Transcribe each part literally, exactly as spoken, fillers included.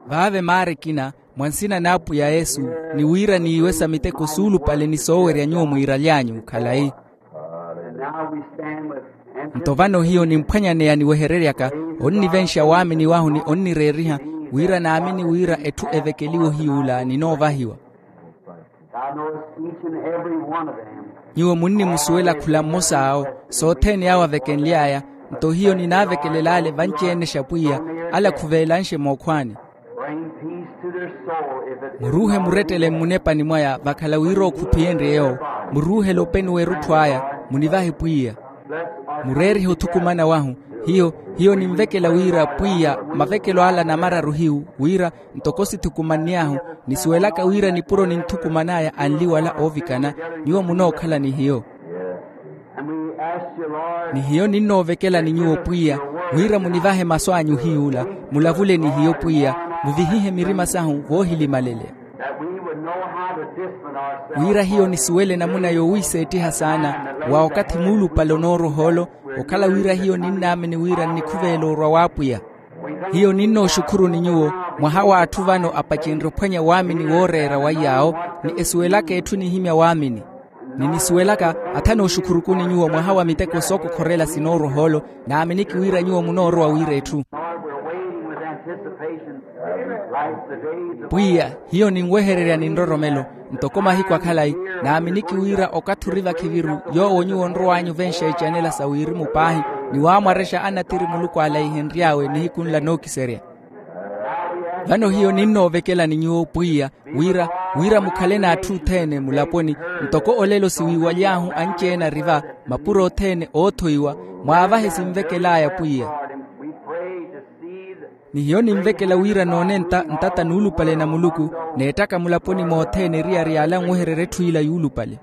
Vaave maara ekina, mwa nsina n'apwiya yesu, ni wira niiwesa miteko suulupale ni soowerya nyuwo mwiiraly'anyu khalayi. Nto vano hiyo nimphwanyaneya niwehereryaka, onnivenxa waamini wahu ni onnireeriha, wira naamini wira etthu evekeliwa ohiy'ula ninoovahiwa. Nyuwo munnimusuwela khula mmos'awo, sothene awo avekenly'aya. Nto hiyo ninaavekelela ale vanci-ene xapwiya, ale akhuveelanxe mookhwaani. Muruuhe murettele mmunepani mwaya vakhala wira okhuphiyenrye yoowo. Muruuhele openi w'erutthu aya, munivahe pwiya. Mureerihe othukumana wahu. Hiyo hiyo ninvekela wira pwiya, mavekelo ala namararu hiyu wira, ntoko sithukumann'ahu, nisuwelaka wira nipuro ninthukuman'aya anli wala oovikana. Nyuwo munookhala ni hiyo. Ni hiyo ninnoovekela ni nyuwo pwiya, wira munivahe masu anyu hiy'ula, mulavule ni hiyo pwiya, muvihihe mirima sahu voohilimalelya. Wira hiyo nisuwele namuna yowiiseettiha saana, wa okathi muulupale onooroha ole, okhala wira hiyo ninnaamini wira nnikhuveela orwa w'apwiya. Hiyo ninnooxukhuru ni nyuwo, mwaha w'atthu vano apacenrye ophwanya waamini wooreera wa iy'awo, ni esuwelaka etthu enihimya waamini. Ni nisuwelaka atha nooxukhuruku ni nyuwo mwaha wa miteko sookokhorela sinooroha ole, naaminiki wira nyuwo munoorowa wira etthu. Pwiya, hiyo ninwehererya ni nroromelo, ntoko mahiku akhalayi, naaminiki wira okathi ori vakhiviru yoowo nyuwo onrow'anyu ovenxa icanela sa wirimu paahi, ni waamwarexa anathiri muluku ale aihenry'awe nihiku nla nookiserya. Vano hiyo ninnoovekela ni nyuwo pwiya, wira wira mukhale n'atthu othene mulaponi, ntoko olelo siwiiwaly'ahu anci-ene ari va, mapuro othene oothoiwa, mwaavahe sinvekel'aya pwiya. Ni hiyo ninvekela wira noone nta ntata nuulupale na muluku, neettaka mulaponi mothene eriyari y'ala anwehererya etthu ila yuulupale.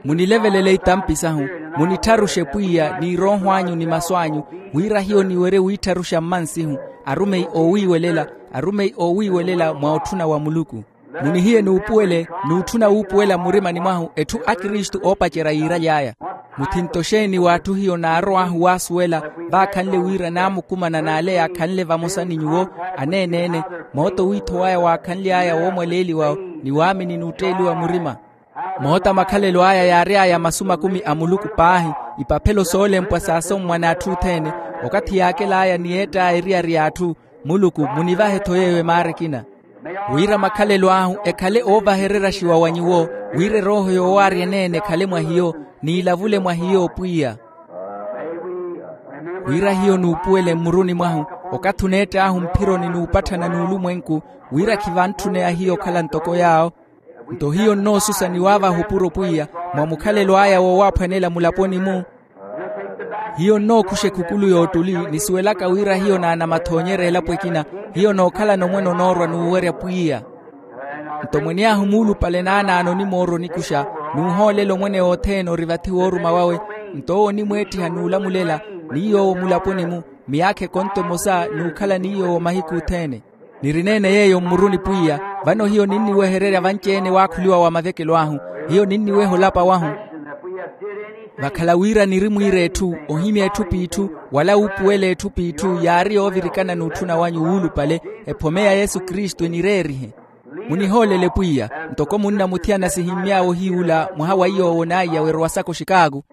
Munilevelele itampi sahu, munittharuxe pwiya ni erooho anyu ni masu anyu, wira hiyo niwerye wiittharuxa mmansihu, arumeyi oowiiwelela, arumeyi oowiiwelela mwa otthuna wa muluku. Munihiye nuupuwele n'utthuna wuupuwela mmurimani mwahu etthu akristu oopacerya yiiraly'aya. Muthinto xeeni w'atthu hiyo naarow'ahu waasuwela, vaakhanle wira naamukumana n'ale yaakhanle vamosa ni nyuwo, aneene-ene, mooto wiithow'aya waakhanly'aya woomwaleeliwa ni waamini n'utteeliwa murima. Moota makhalelo aya yaary'aya masu makumi a muluku paahi, ipaphelo soolempwa saasommwa n'atthu othene, okathi yaakel'aya ni yeett'aya eriyari y'atthu. Muluku munivahe-tho yeeyo emaara ekina, wira makhalelo ahu ekhale oovahereryaxiwa wa nyuwo, wira erooho yoowaarya eneene ekhale mwa hiyo, n'ilavule mwa hiyo pwiya. Wira hiyo nuupuwele mmuruni mwahu, okathi oneett'ahu mphironi n'upatthana n'ulumwenku, wira khivantthuneya hiyo okhala ntoko yaawo. Nto hiyo nnoosusa ni waavaha opuro pwiya, mwa mukhalelo aya woowaaphwanela mulaponi-mu. Hiyo nnookhuxa ekhukulu y'ottuli, nisuwelaka wira hiyo naanamathoonyerya elapo ekina. Hiyo nookhalana omwene onoorwa n'uwerya pwiya. Nto mwene ahu muulupale naanaano onimoorwa onikuxa, n'uhoolela omwene othene ori vathi wooruma wawe. Nto owo onimweettiha n'ulamulela, ni yoowo mulaponi-mu, miyaakha ekonto emosa n'ukhala ni yoowo mahiku othene. Nirineene yeeyo mmuruni pwiya. Vano hiyo ninniwehererya vanci-ene waakhuliwa wa mavekelo ahu. Hiyo ninniweha olapa wahu, vakhala wira niri mwiira etthu, ohimya etthu p'itthu, wala wuupuwela etthu p'itthu yaari yoovirikana n'utthuna wanyu wuulupale. Ephome ya yesu kristu enireerihe. Munihoolele pwiya, ntoko munnamuthiyana sihimmy'awe ohiy'ula mwaha wa iy'owo naiya weerowasaka oxikaaku.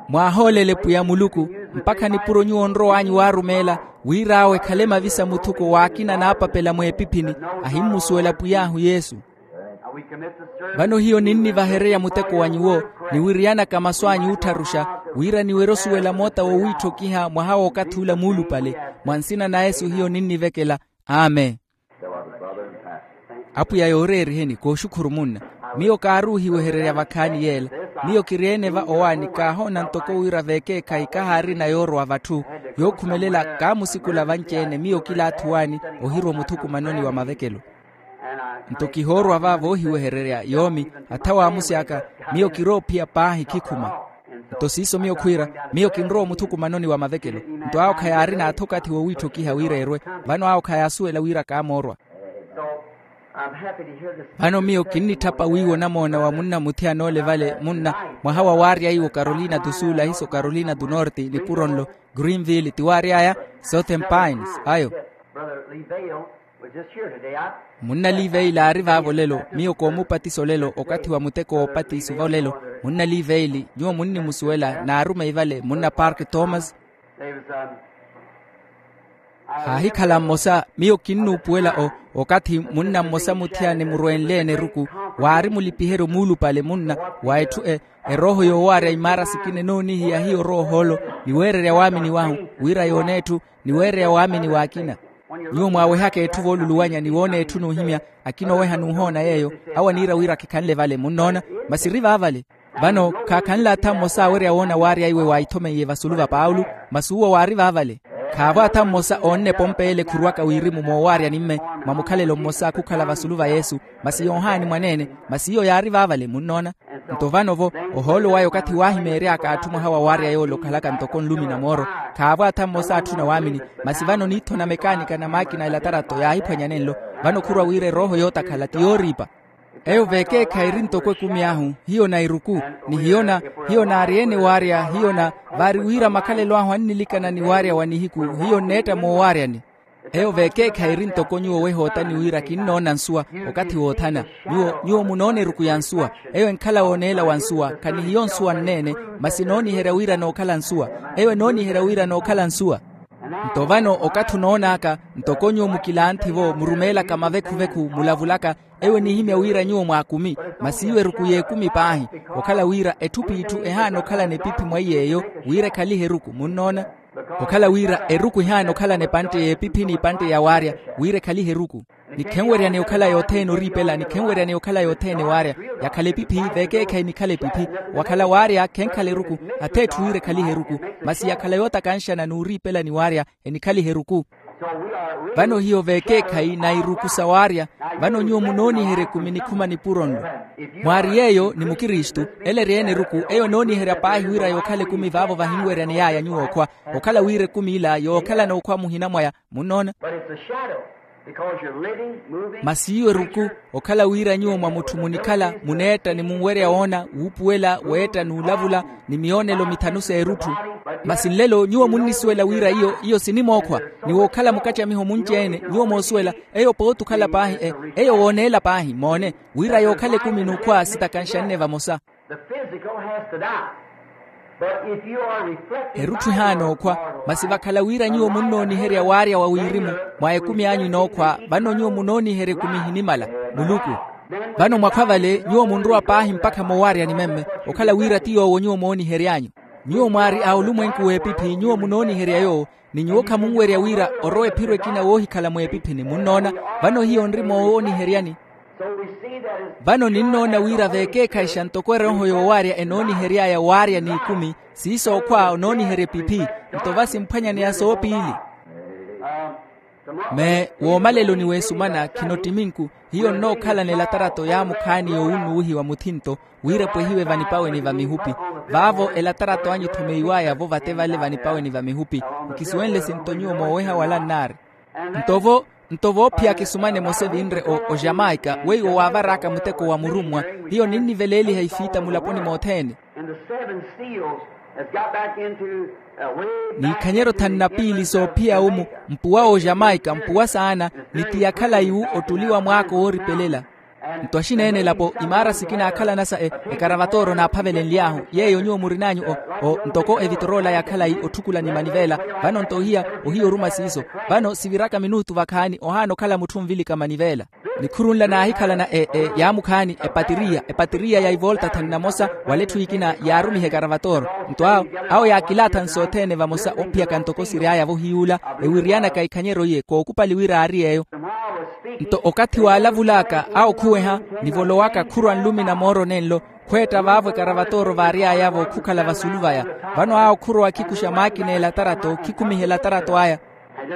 Mwaahoolele pwiya muluku, mpakha nipuro nyuwo onrow'anyu waarumeela, wira awo ekhale mavisa muthuko w'akina naapapela mweepiphini, ahimmusuwela pwiy'ahu yesu. Vano hiyo ninnivahererya muteko wa nyuwo, niwiriyanaka masu anyu oottharuxa, wira niwerye osuwela moota wowiitthokiha mwaha w'okathi ula muulupale, mwa nsina na yesu hiyo ninnivekela. Amen. Apwiya yooreeriheni kooxukhuru munna. Miyo kaaruuhiwehererya vakhaani yeela. Miyo kiri-ene va owaani kaahoona ntoko wira veekeekhayi kahaarina yoorowa vatthu. Yookhumelela kaamusikula vanci-ene miyo kila athuwaani, ohirwa omuthukumanoni wa mavekelo. Nto kihoorwa va voohiwehererya yoomi, atha waamusi aka. Miyo kiroophiya paahi khikhuma. Nto siiso miyo khwiira, miyo kinrowa omuthukumanoni wa mavekelo. Nto awo khayaarina atha okathi woowiitthokiha wira erwe. Vano awo khayaasuwela wira kaamoorwa. Vano miyo kinnitthapa wiiwo namoona wa munna muthiyana ole vale munna mwaha wa waarya iwo carolina do sul ahiso carolina do norte nipuro nlo greenville ti waary'aya southern pines ayo. Munna liveila aari vaavo lelo miyo koomupatisa olelo okathi wa muteko woopatisiva olelo. Munna liveili nyuwo munnimusuwela naarumeyi vale munna park thomas. Haahikhala mmosa miyo kinnuupuwela o okathi munna mmosa muthiyana emurwenleene eruku waari mulipiheryo muulupale munna wa etthu e erooho yoowaarya imaara sikina enoonihiya hiyo roohoolo niweererya waamini wahu wira yoona etthu niweererya waamini w'akina. Nyuwo mwaawehaka etthu vooluluwanya ni woona etthu n'uhimya akina oweha n'uhoona yeeyo awo aniira wira khikhanle vale munnoona masi eri vaavale. Vano khaakhanle atha mmosa awerya woona waarya iwe waahithomeiye vasulu va paulo masi uwo waari vaavale. Khaavo atha mmosa oonne epompe ele khurwaka wirimu moowaarya nimme mwa mukhalelo mmosa khukhala vasulu va yesu masi yoohaani mwaneene masi iyo yaari vaavale munnoona. Nto vano-vo ohoolo waya okathi waahimeery'aka atthu mwaha wa waarya yoole okhalaka ntoko nlumi na mooro khaavo atha mmosa atthuna waamini. Masi vano niitho na mekaanika na maakina elatarato yaahiphwanya nenlo vano khurwa wira erooho yootakhala ti yooriipa. Eyo veekeekhayi eri ntoko ekumi ahu hiyo na iruku ni hiyo na hiyo naari-ene waarya hiyo na vaari wira makhalelo ahu annilikana ni waarya wa nihiku hiyo nneetta moowaaryani. Eyo veekeekhayi eri ntoko nyuwo weha otani wira kinnoona nsuwa okathi woothana. Nyuwo nyuwo munoona eruku ya nsuwa eyo enkhala wooneela wa nsuwa khanihiyo nsuwa nneene masi enooniherya wira nookhala nsuwa. Eyo enooniherya wira nookhala nsuwa. Nto vano okathi onoon'aka ntoko nyuwo mukilanthi-vo murumeelaka mavekhuvekhu mulavulaka eyo enihimya wira nyuwo mwaakumi masi iwo eruku y'ekumi paahi. Okhala wira etthu p'itthu ehaana okhalana epiphi mwa iy'eyo wira ekhalihe eruku munnoona. Okhala wira eruku ehaana okhalana epantte y'epiphi n'ipantte ya waarya wira ekhalihe eruku. Nikhenweryaneya okhala yothene oriipela nikhenweryaneya okhala yothene waarya. Yakhala epiphi veekeekhayi nikhala epiphi. Wakhala waarya khenkhala eruku ath'etthu wira ekhalihe eruku masi yakhala yootakanxana n'uriipela ni waarya enikhalihe eruku. Vano hiyo veekeekhayi na iruku sa waarya. Vano nyuwo munooniherya ekumi nikhuma nipuro nlo mwaari yeeyo ni mukristu ele eri-ene eruku eyo enooniherya paahi wira yookhala ekumi vaavo vahinweryani yaaya nyuwo okhwa okhala wira ekumi ila yookhalana okhwa muhina mwaya munnoona. Masi iyo eruku okhala wira nyuwo mwa mutthu munikhala muneetta ni munwerya woona wuupuwela weetta n'ulavula ni miyoonelo mithanu s'erutthu. Masi nlelo nyuwo munnisuwela wira iyo iyo sinimookhwa ni wookhala mukacamiho munci-ene nyuwo moosuwela eyo pooti okhala paahi eyo wooneela paahi moone wira yookhala ekumi n'ukhwa sitakanxanne vamosa. Erutthu ehaana okhwa masi vakhala wira nyuwo munnooniherya waarya wa wirimu mwa ekumi anyu enookhwa vano nyuwo munooniherya ekumi ehinimala muluku. Vano mwakhwa vale nyuwo munrowa paahi mpakha moowaaryani memme okhala wira ti yoowo nyuwo moonihery'anyu. Nyuwo mwaari a olumwenku w'epiphi nyuwo munooniherya yoowo ni nyuwo khamunwerya wira orowa ephiro ekina woohikhala mweepiphini munnoona. Vano hiyo nri moowooniheryani. Vano ninnoona wira veekeekhayixa ntoko erooho yoowaarya enoonihery'aya waarya n'ikumi siiso okhwa onooniherya epiphi. Nto va simphwanyaneya soopiili. Mee woomaleloni w'esumana khino ttiminku hiyo nnookhalana elatarato yaamukhaani yoowunnuwihiwa muthinto wira epwehiwe vanipaweni va mihupi. Vaavo elatarato anyu ethomeyiw'aya-vo vate vale vanipaweni va mihupi. Nkisuwenle sinto nyuwo mooweha wala nnaari. Nto vo nto voophiyaka esumana emosa evinre o jamaica weiwo waavar'aka muteko wa murummwa hiyo ninniveleeliha ifiita mulaponi mothene. N'ikhanyeryo thanu na piili soophiya-wo mu mpuwa o jamaica mpuwa saana ni ti ya khalayi-wu ottuli wa mwaako wooripelela. Nto axineenelapo imaara sikina akhalanasa ekaravatora onaaphavelenly'ahu yeeyo nyuwo murin'anyu o ntoko evitoroola ya khalayi otthukula ni manivela. Vano nto ohiya ohiya oruma siiso. Vano siviraka minutu vakhaani ohaana okhala mutthu onvilika manivela. Nikhuru nla naahikhalana yaamukhaani epatiriya epatiriya ya ivolta thanu na mosa wala etthu ekina yaarumiha ekaravatora. Nto awo awo yaakilaatha nsi othene vamosa ophiyaka ntoko siry'aya-vo hiy'ula ewiriyanaka ikhanyeryo iye kookupali wira aari yeeyo. Nto okathi waalavul'aka awo khuweha nivolowaka khurwa nlumi na mooro nenlo khweetta vaavo ekaravatora vaary'aya-vo khukhala vasulu vaya. Vano awo khurowa khikuxa maakina elatarato khikhumiha elatarato aya.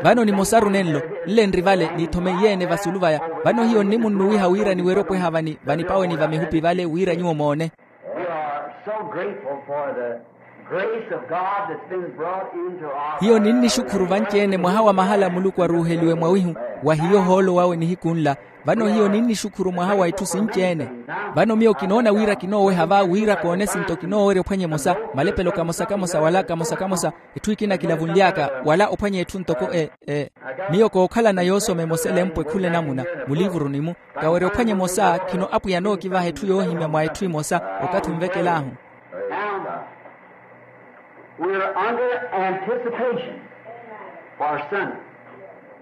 Vano nimosaru nenlo nle nri vale niithomeiye-ene vasulu vaya. Vano hiyo nnimunnuwiha wira niwerye opweha vanipaweni va mihupi vale wira nyuwo moone. Grace of God that's been brought into our hiyo ninnixukhuru vanci-ene mwaha wa mahala muluku aruuheliwe mwawihu wa hiyo ohoolo wawe nihiku nla. Vano hiyo ninnixukhuru mwaha wa itthu sinci-ene. Vano miyo kinoona wira kinooweha va wira koone esinto kinoowerya ophwanya emosa, malepelo kamosa kamosa wala kamosa kamosa, etthu ekina kilavunly'aka wala ophwanya etthu ntoko e e miyo kookhalana yoosoma emosa elempwe khula enamuna, muliivuruni-mu kawerya ophwanya emosa khino apwiya anookivaha etthu yoohimya mwa etthu emosa. Okathi onvekel'ahu. Now, we're under anticipation for Sunday.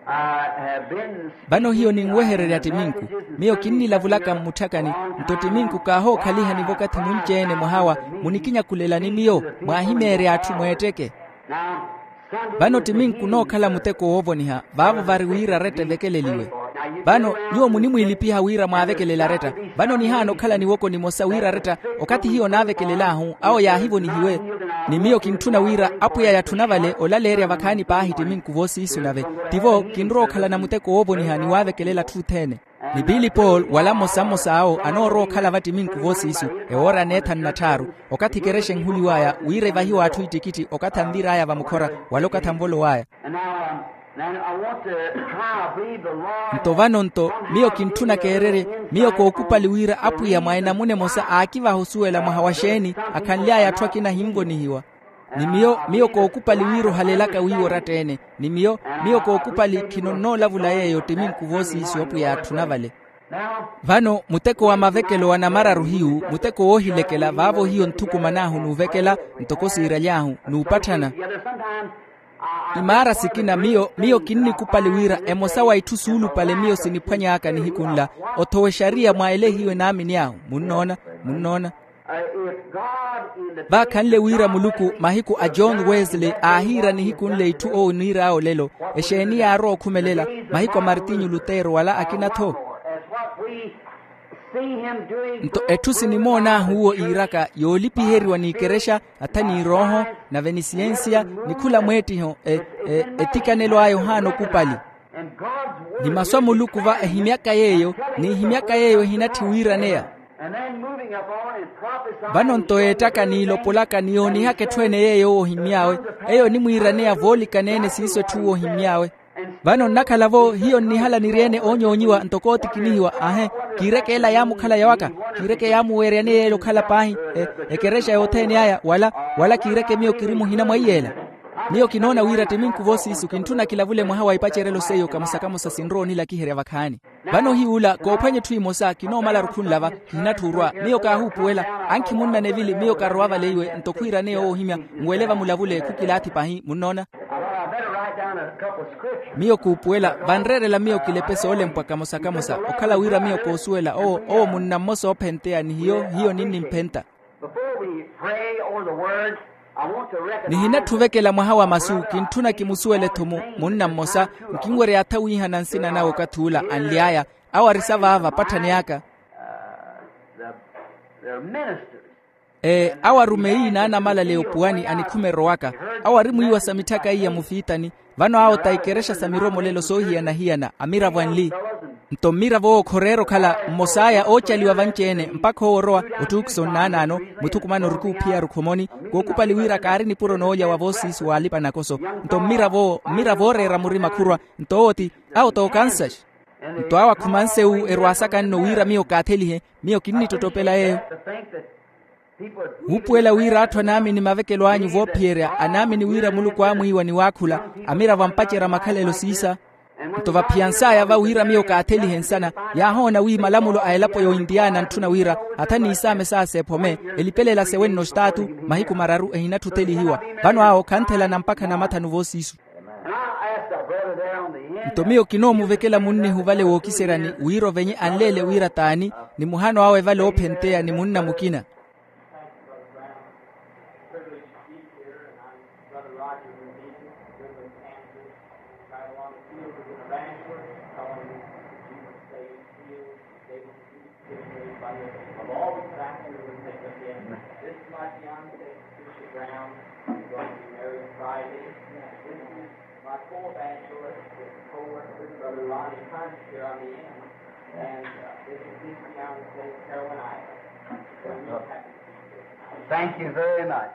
I have been vano hiyo ninwehererya ttiminku. Miyo kinnilavulaka mmutthakani, nto ttiminku kaahookhaliha ni vakathi munci-ene mwaha wa munikinyakulela ni miyo mwaahimeerya atthu mweetteke. Now, vano ttiminku nookhala muteko woovoniha vaavo vari wira aretta evekeleliwe. Vano nyuwo munimwiilipiha wira mwaavekelela aretta. Vano nihaana okhala niwoko nimosa wira aretta okathi hiyo naavekelel'ahu awo yaahivonihiwe. Ni miyo kintthuna wira apwiya yatthuna vale olaleerya vakhaani paahi ttiminku voosiisu nave. Ttivo kinrowa okhalana muteko woovoniha ni waavekelela atthu othene. Ni piili paul wala mmosa mmosa awo anoorowa okhala va ttiminku voosiisu ewoora aneethanu na tthaaru, okathi ekerexa enhuliw'aya wira evahiwe atthu ittikitthi okathi anvir'aya vamukhora wala okathi anvolow'aya. Nto vano nto miyo kintthuna keererye. Miyo kookupali wira apwiya mwa enamuna emosa aakivaha osuwela mwaha wa xeeni akhanly'aya atthu akina ahinvonihiwa. Ni miyo miyo kookupali wira ohalelaka wiiwa oratta-ene. Ni miyo miyo kookupali khino nnoolavula yeeyo ttiminku voosiisu apwiya yaatthuna vale. Vano muteko wa mavekelo wa namararu hiyu muteko woohilekela vaavo hiyo nthukuman'ahu n'uvekela ntoko siiraly'ahu n'upatthana. Imaara sikina miyo miyo kinnikupali wira emosa wa itthu suulupale miyo siniphwany'aka nihiku nla othowa exariya mwa ele hiyo enaamini ahu. Munnoona? Munnoona? Vaakhanle wira muluku mahiku a john wesley aahiira nihiku nle itthu owo oniir'awe olelo. Exeeni yaarowa okhumelela? Mahiku a martinyu lutero wala akina-tho. Nto etthu sinimoon'ahu uwo iiraka yoolipiheriwa n'ikerexa atha n'irooho nave ni siyensiya ni khula mweettiho etikanelo aya ohaana okupali. Ni masu a muluku va ehimyaka yeeyo n'ihimyaka yeeyo ehinatthi wiiraneya. Vano nto eettaka n'ilopolaka ni yoonihaka etthu ene yeeyo owo ohimmy'awe eyo onimwiiraneya voolikaneene siiso etthu owo ohimmy'awe. Vano nnakhala-vo hiyo nnihala niri-ene oonyoonyiwa ntoko ootikinihiwa ahe kiireke ela yaamukhala yawaka kiireke yaamuweeryani yeela okhala paahi ekerexa yothene aya wala wala kiireke miyo kiri muhina mwa iy'ela. Miyo kinoona wira ttiminku voosiisu kintthuna kilavule mwaha wa ipacerelo seiyo kamosa kamosa sinrowa onilakiherya vakhaani. Vano hiy'ula koophwanya etthu emosa kinoomala rukhunlava. Kihinatthi orwa miyo kaahuupuwela ankhi munna nevili miyo karowa vale iwe nto khwiiraneya owo ohimya nwele vamulavule khukilaathi pahi munnoona. Miyo kuupuwela vanreerela miyo kilepe soolempwa kamosa kamosa okhala wira miyo koosuwela owo owo munna mmosa oophenteya ni hiyo hiyo ninnimphenta. Nihinatthi ovekela mwaha wa masu kintthuna kimusuwele-tho munna mmosa nkinwerya atha wiihana nsina nawe okathi ula anly'aya awo arisa vaava apatthani aka. Ee awo arumeyi n'anamalaleya opuwani a nikhume erowaka awo arimwiiwa sa mitthaka iya mufiitani. Vano awo ta ikerexa sa miromolelo soohiyana-hiyana amiravo anli. Nto mmiravo owo khoreera okhala mmos'aya oocaliwa vanci-ene mpakha owo orowa ottuukisa onnaanaano muthukumana orikuuphiya rukhomoni kookupali wira kaari nipuro noolya wa voosiisi w'alipa-nakoso. Nto mmiravo owo mmiravo ooreera murima khurwa nto owo ti awo ta okansaxi. Nto awo akhumanse wu erwaasaka nno wira miyo kaathelihe miyo kinnittottopela yeeyo. Wuupuwela wira atthu anaamini mavekelo anyu voophiyerya anaamini wira muluku aamwiiwa ni waakhula amiravo ampacerya makhalelo siisa. Nto vaphiyans'aya va wira miyo kaathelihe nsana yaahoona wi malamulo a elapo ya ointiyaana antthuna wira atha n'isaame saasa ephome elipelela sewenno staatu mahiku mararu ehinatthi othelihiwa. Vano awo khanthelana mpakha namathanu voosiisu. Nto miyo kinoomuvekela munnihu vale wookiseryani wira ovenye anleele wira t'ani ni muhano awe vale oophenteya ni munna mukina. Thank you very much.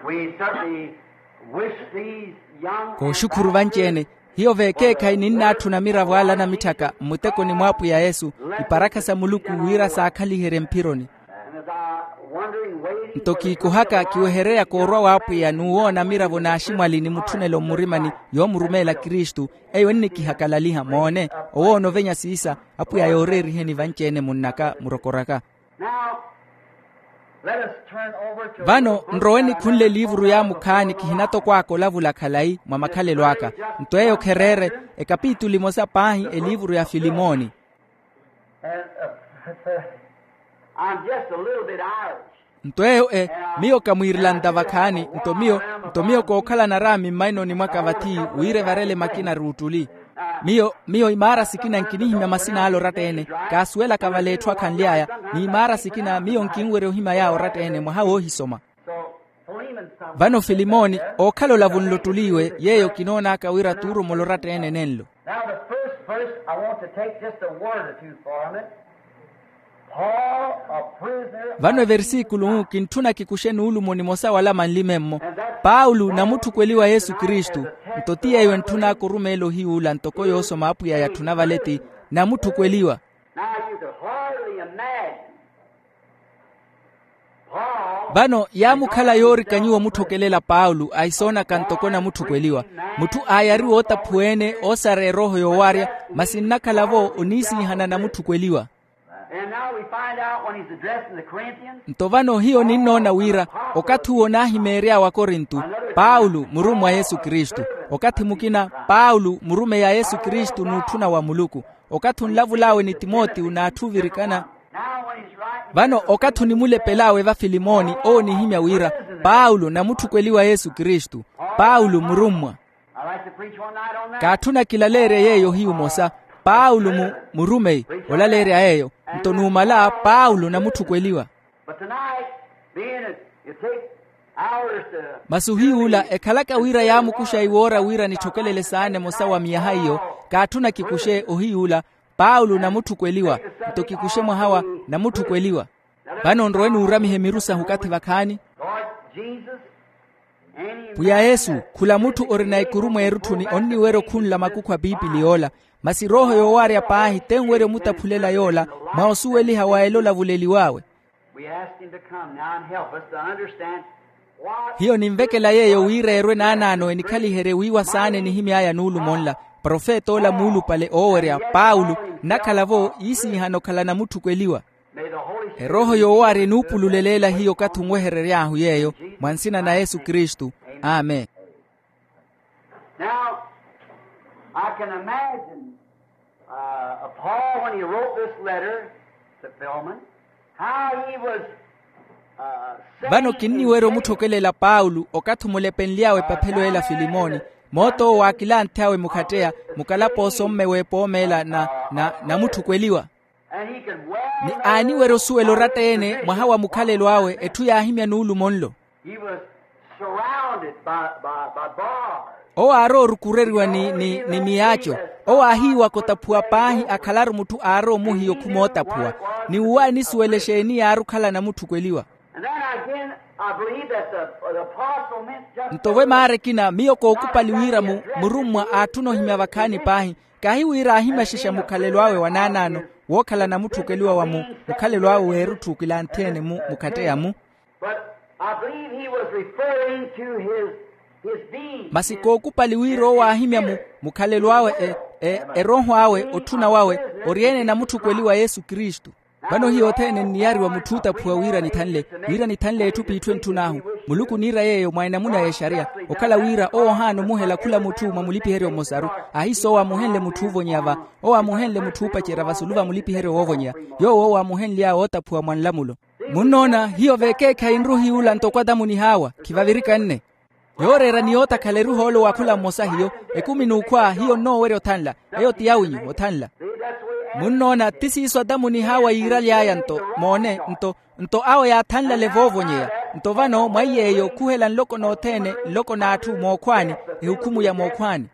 We certainly wish these young and kooxukhuru vanci-ene. Hiyo veekeekhayi ninnaatthuna miravo ala anamitthaka mmutekoni mw'apwiya yesu, iparakha sa muluku wira saakhaliherye mphironi. And as I wondering, waiting nto for the kiikuhaka kiwehereryaka orwa w'apwiya n'uwoona miravo n'aximwali ni mutthunelo mmurimani, yoomurumeela kristu. Eyo ennikihakalaliha moone, owoona ovenya siisa. Apwiya yooreeriheni vanci-ene munnaka murokoraka. Now, let us turn over to vano nrowe nikhunle eliivuru yaamukhaani kihinatokwaaka olavula khalayi mwa makhalelo aka. Nto eyo khereere ekapitulu emosa paahi eliivuru ya filimoni. And, uh, I'm just a little bit Irish. Nto eyo e, miyo kamwiirilanta vakhaani. Nto miyo nto miyo kookhalana araami mmainoni mwaka vathi, wira evarele makina ruuttuli. Miyo miyo imaara sikina nkinihimya masina ale oratta-ene. Kaasuwelaka vale etthu akhanly'aya. N'imaara sikina miyo nkinwerya ohimya yaawe oratta-ene mwaha woohisoma. Vano filimoni, ookhala olavunlo ttuliiwe yeeyo kinoon'aka wira tuurumola oratta-ene nenlo. Now the first verse, I want to take just a word or two from it. Paul, a prisoner. Vano eversikulu-u kintthuna kikuxe nuulumo nimosa wala manli memmo. Paulo namutthukweliwa yesu kristu. Nto ti yeeyo entthun'aka orumeela ohiy'ula ntoko yoosoma apwiya yatthuna vale ti namutthukweliwa. Now you could hardly imagine. Vano yaamukhala yoorika nyuwo omutthokelela paulo ahisoonaka ntoko namutthukweliwa. Mutthu aayariwa ootaphuwa-ene oosareya erooho yoowaarya, masi nnakhala-vo oniisiihana namutthukweliwa. And now we find out when he's addressing the Corinthians. Nto vano hiyo ninnoona wira okathi uwo naahimeery'awe akorintu, paulo murummwa a yesu kristu. Okathi mukina paulo murumeyi a yesu kristu n'utthuna wa muluku. Okathi onlavul'awe ni timotiyo n'atthu ovirikana. Vano okathi onimulepel'awe va filimoni owo onihimya wira, paulo namutthukweliwa yesu kristu. Paulo murummwa. Kaatthuna kilaleerya yeeyo ohiyu omosa. Paulo mu murumeyi olaleerya yeeyo. Nto numala paulo namutthukweliwa. Masi ohiy'ula ekhalaka wira yaamukuxa iwoora wira nitthokelele saana emosa wa miyaha iyo. Kaatthuna kikuxe ohiy'ula paulo namutthukweliwa. Nto kikuxe mwaha wa namutthukweliwa. Vano nrowe nuuramihe miru sahu okathi vakhaani. Pwiya yesu, khula mutthu orina ikuru mweerutthuni onniwerya okhunla makukhu a piipili yoola. Masi erooho yoowaarya paahi tenwerya omutaphulela yoola mwa osuweliha wa ela olavuleliw'awe. Hiyo ninvekela yeeyo wira erwe naanaano enikhaliherye wiiwa saana enihimy'aya nuulumo nla. Profet'ola muulupale oowerya paulo nnakhala-vo yiisiihana okhala namutthukweliwa. Erooho yoowaarya enuupululela ela hiyo okathi onweherery'ahu yeeyo, mwa nsina na yesu kristu. Amen. Now, I can imagine, uh, Paul when he wrote this letter to Philemon, how he was, uh, vano kinniwerya omutthokelela paulo okathi omulepenly'awe epaphelo ela filimoni, moot'owo waakilanth'awe mukhatteya mukalapooso mme w'epoomeela na na namutthukweliwa. Ni aaniwerya osuwela oratta-ene mwaha wa mukhalelo awe etthu yaahimya nuulumo nlo. Owo aarowa orukureriwa ni ni ni miyaaco. Owo aahiiwaka otaphuwa paahi akhalaru mutthu aarowa omuhiya okhuma ootaphuwa. Ni uwo aanisuwela exeeni yaari okhala namutthukweliwa. Nto vo emaara ekina miyo kookupali wira mu murummwa aatthuna ohimya vakhaani paahi. Kahi wira aahimaxexa mukhalelo awe wa naanaano wookhala namutthukweliwa wa mu mukhalelo awe w'erutthu kilanthi-ene mu mukhatteya-mu. Masi kookupali wira owo aahimya mu mukhalelo awe erooho awe otthuna wawe ori-ene namutthukweliwa yesu kristu. Vano hiyo othene nniyariwa mutthu ootaphuwa wira nithanle wira nithanle etthu p'itthu entthun'ahu. Muluku oniira yeeyo mwa enamuna y'exariya. Okhala wira owo ohaana omuhela khula mutthu mwa mulipiheryo mmosaru. Ahiiso owo aamuhenle mutthu oovonyeya va owo aamuhenle mutthu oopacerya vasulu va mulipiheryo woovonyeya. Yoowo owo aamuhenly'awe ootaphuwa mwa nlamulo. Munnoona hiyo veekeekhayi nruhiy'ula ntoko atamunih'awa khivavirika nne. Yooreera ni yootakhala eruhoolo wa khula mmosa hiyo. Ekumi n'ukhwa hiyo nnoowerya othanla. Eyo ti yawinyu othanla. Munnoona ti siiso atamunih'awa yiiraly'aya nto moone nto nto awo yaathanlale voovonyeya. Nto vano mwa iy'eyo khuhela nloko nothene nloko n'atthu mookhwaani ehukhumu ya mookhwaani.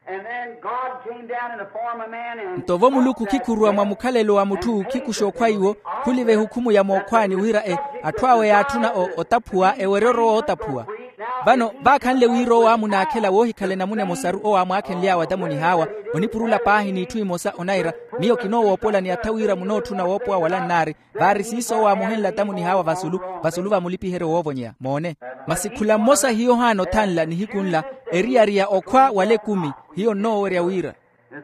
Nto vo muluku khikhuruwa mwa mukhalelo wa mutthu khikuxa okhwa iwo khuliva ehukhumu ya mookhwaani wira e atthu awe yaatthuna otaphuwa ewerye orowa ootaphuwa. Vano vaakhanle wira owo aamunaakhela woohikhala enamuna emosaru owo aamwaakhenly'awe atamoni haawa, onipurula paahi n'itthu imosa onaira. Miyo kinoowoopola ni atha wira munootthuna woopowa wala nnaari. Vaari siiso owo aamuhenle atamoni haawa vasulu, vasulu va mulipiheryo woovonyeya moone. Masi khula mmosa hiyo ohaana othanla nihiku nla, eriyari ya okhwa wala ekumi. Hiyo nnoowerya wira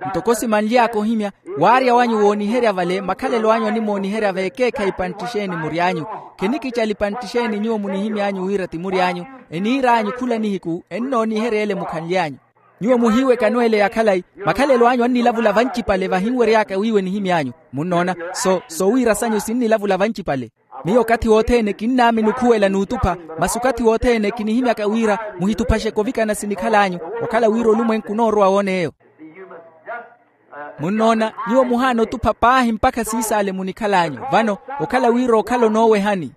ntoko simanly'aka ohimya, waarya wanyu wooniherya vale makhalelo anyu animooniherya veekeekhayi pantti exeeni mury'anyu. Khenikicala ipantti exeeni nyuwo munihimy'anyu wira ti mury'anyu, eniir'anyu khula nihiku ennooniherya ele mukhanly'anyu. Nyuwo muhiiwekano ele ya khalayi, makhalelo anyu annilavula vancipale vahinwery'aka wiiwe nihimy'anyu. Munnoona? So so wira sanyu sinnilavula vancipale. Miyo okathi wothene kinnaamini okhuwela n'utupha, masi okathi wothene kinihimyaka wira muhituphaxeke ovikana sinikhal'anyu, okhala wira olumwenku onoorowa woona eyo. Munnoona? Nyuwo muhaana otupha paahi mpakha siisaale munikhal'anyu. Vano okhala wira okhala onoowehani.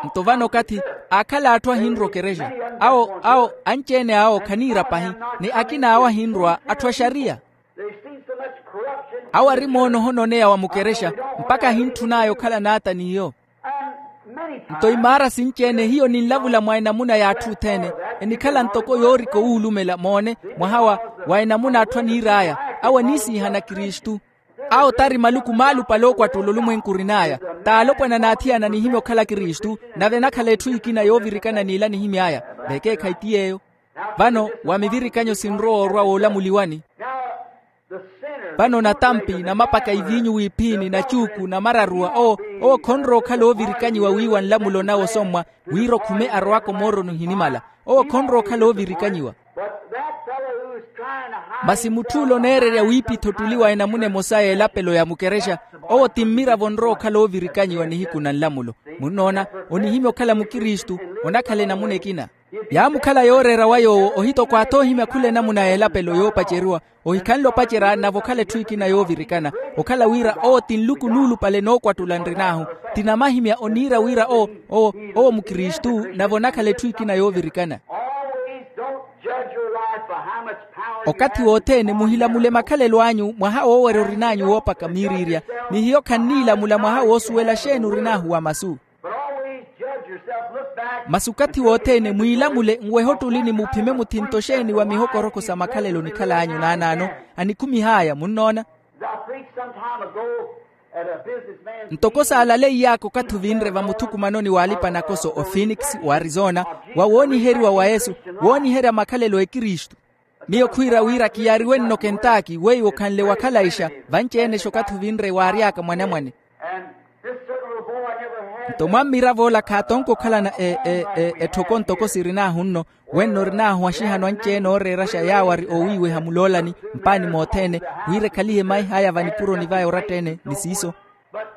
Nto vano okathi aakhala atthu ahinrwa okerexa, awo awo anci-ene awo khaniira pahi, ni akina awo ahinrwa atthu a xariya. Awo ari moona ohononeya wa mukerexa, mpakha ahintthun'aya okhala n'ata n'iyo. Nto imaara sinci-ene hiyo ninlavula mwa enamuna y'atthu othene, enikhala ntoko yoorika owuulumela moone, mwaha wa wa enamuna atthu aniir'aya. Awo aniisiihana kristu. Awo tari maluku maalupale ookwattuula olumwenku orin'aya. T'alopwana n'athiyana anihimya okhala kristu, nave enakhala etthu ekina yoovirikana n'ila anihimy'aya. Vekeekhayi ti yeeyo. Vano wa mivirikanyo sinrowa orwa woolamuliwani. Vano natampi namapaka iviinyu w'iphini nacuuku namararuwa owo, owo khonrowa okhala oovirikanyiwa wiiwa nlamulo nawe osommwa, wira okhume arowaka omooroni ohinimala. Owo khonrowa okhala oovirikanyiwa. Masi mutth'ule oneererya wiipitha ottuli wa enamuna emosa y'elapelo ya mukerexa, owo ti mmiravo onrowa okhala oovirikanyiwa nihiku na nlamulo. Munnoona? Onihimya okhala mukristu, onakhala enamuna ekina. Yaamukhala yooreera wa yoowo ohitokwaatha ohimya khula enamuna y'elapelo yoopaceriwa. Ohikhanle opacerya nave okhala etthu ekina yoovirikana, okhala wira owo ti nluku nuulupale nookwattula nrin'ahu. Ti namahimya oniira wira owo owo owo mukristu nave onakhala etthu ekina yoovirikana. Okathi wothene muhilamule makhalelo anyu mwaha woowerya orin'anyu woopaka miiriirya. Ni hiyo khanniilamula mwaha woosuwela xeeni orin'ahu wa masu. Masi okathi wothene mwiilamule nwehe ottulini muphime muthinto xeeni wa mihokorokho sa makhalelo onikhal'anyu naanaano. Anikumihaaya munnoona. Ntoko saalaleiy'aka okathi ovinre vamuthukumanoni w'alipa-nakoso ophoenix w'arizona, wa wooniheriwa wa yesu, wooniherya makhalelo a ekristu. Miyo khwiira wira kiyariwe nno kentaki weiwo khanle wakhalayixa. Vanci-enexa okathi ovinre waary'aka mwanamwane. Nto mwammirav'ola khaatonke okhalana etthoko ntoko sirin'ahu nno. Wenno orin'ahu axihano anci-ene ooreeraxa yaawari oowiiweha muloolani mpaani mothene, wira ekhalihe maih'aya vanipuroni vaya oratta-ene ni siiso.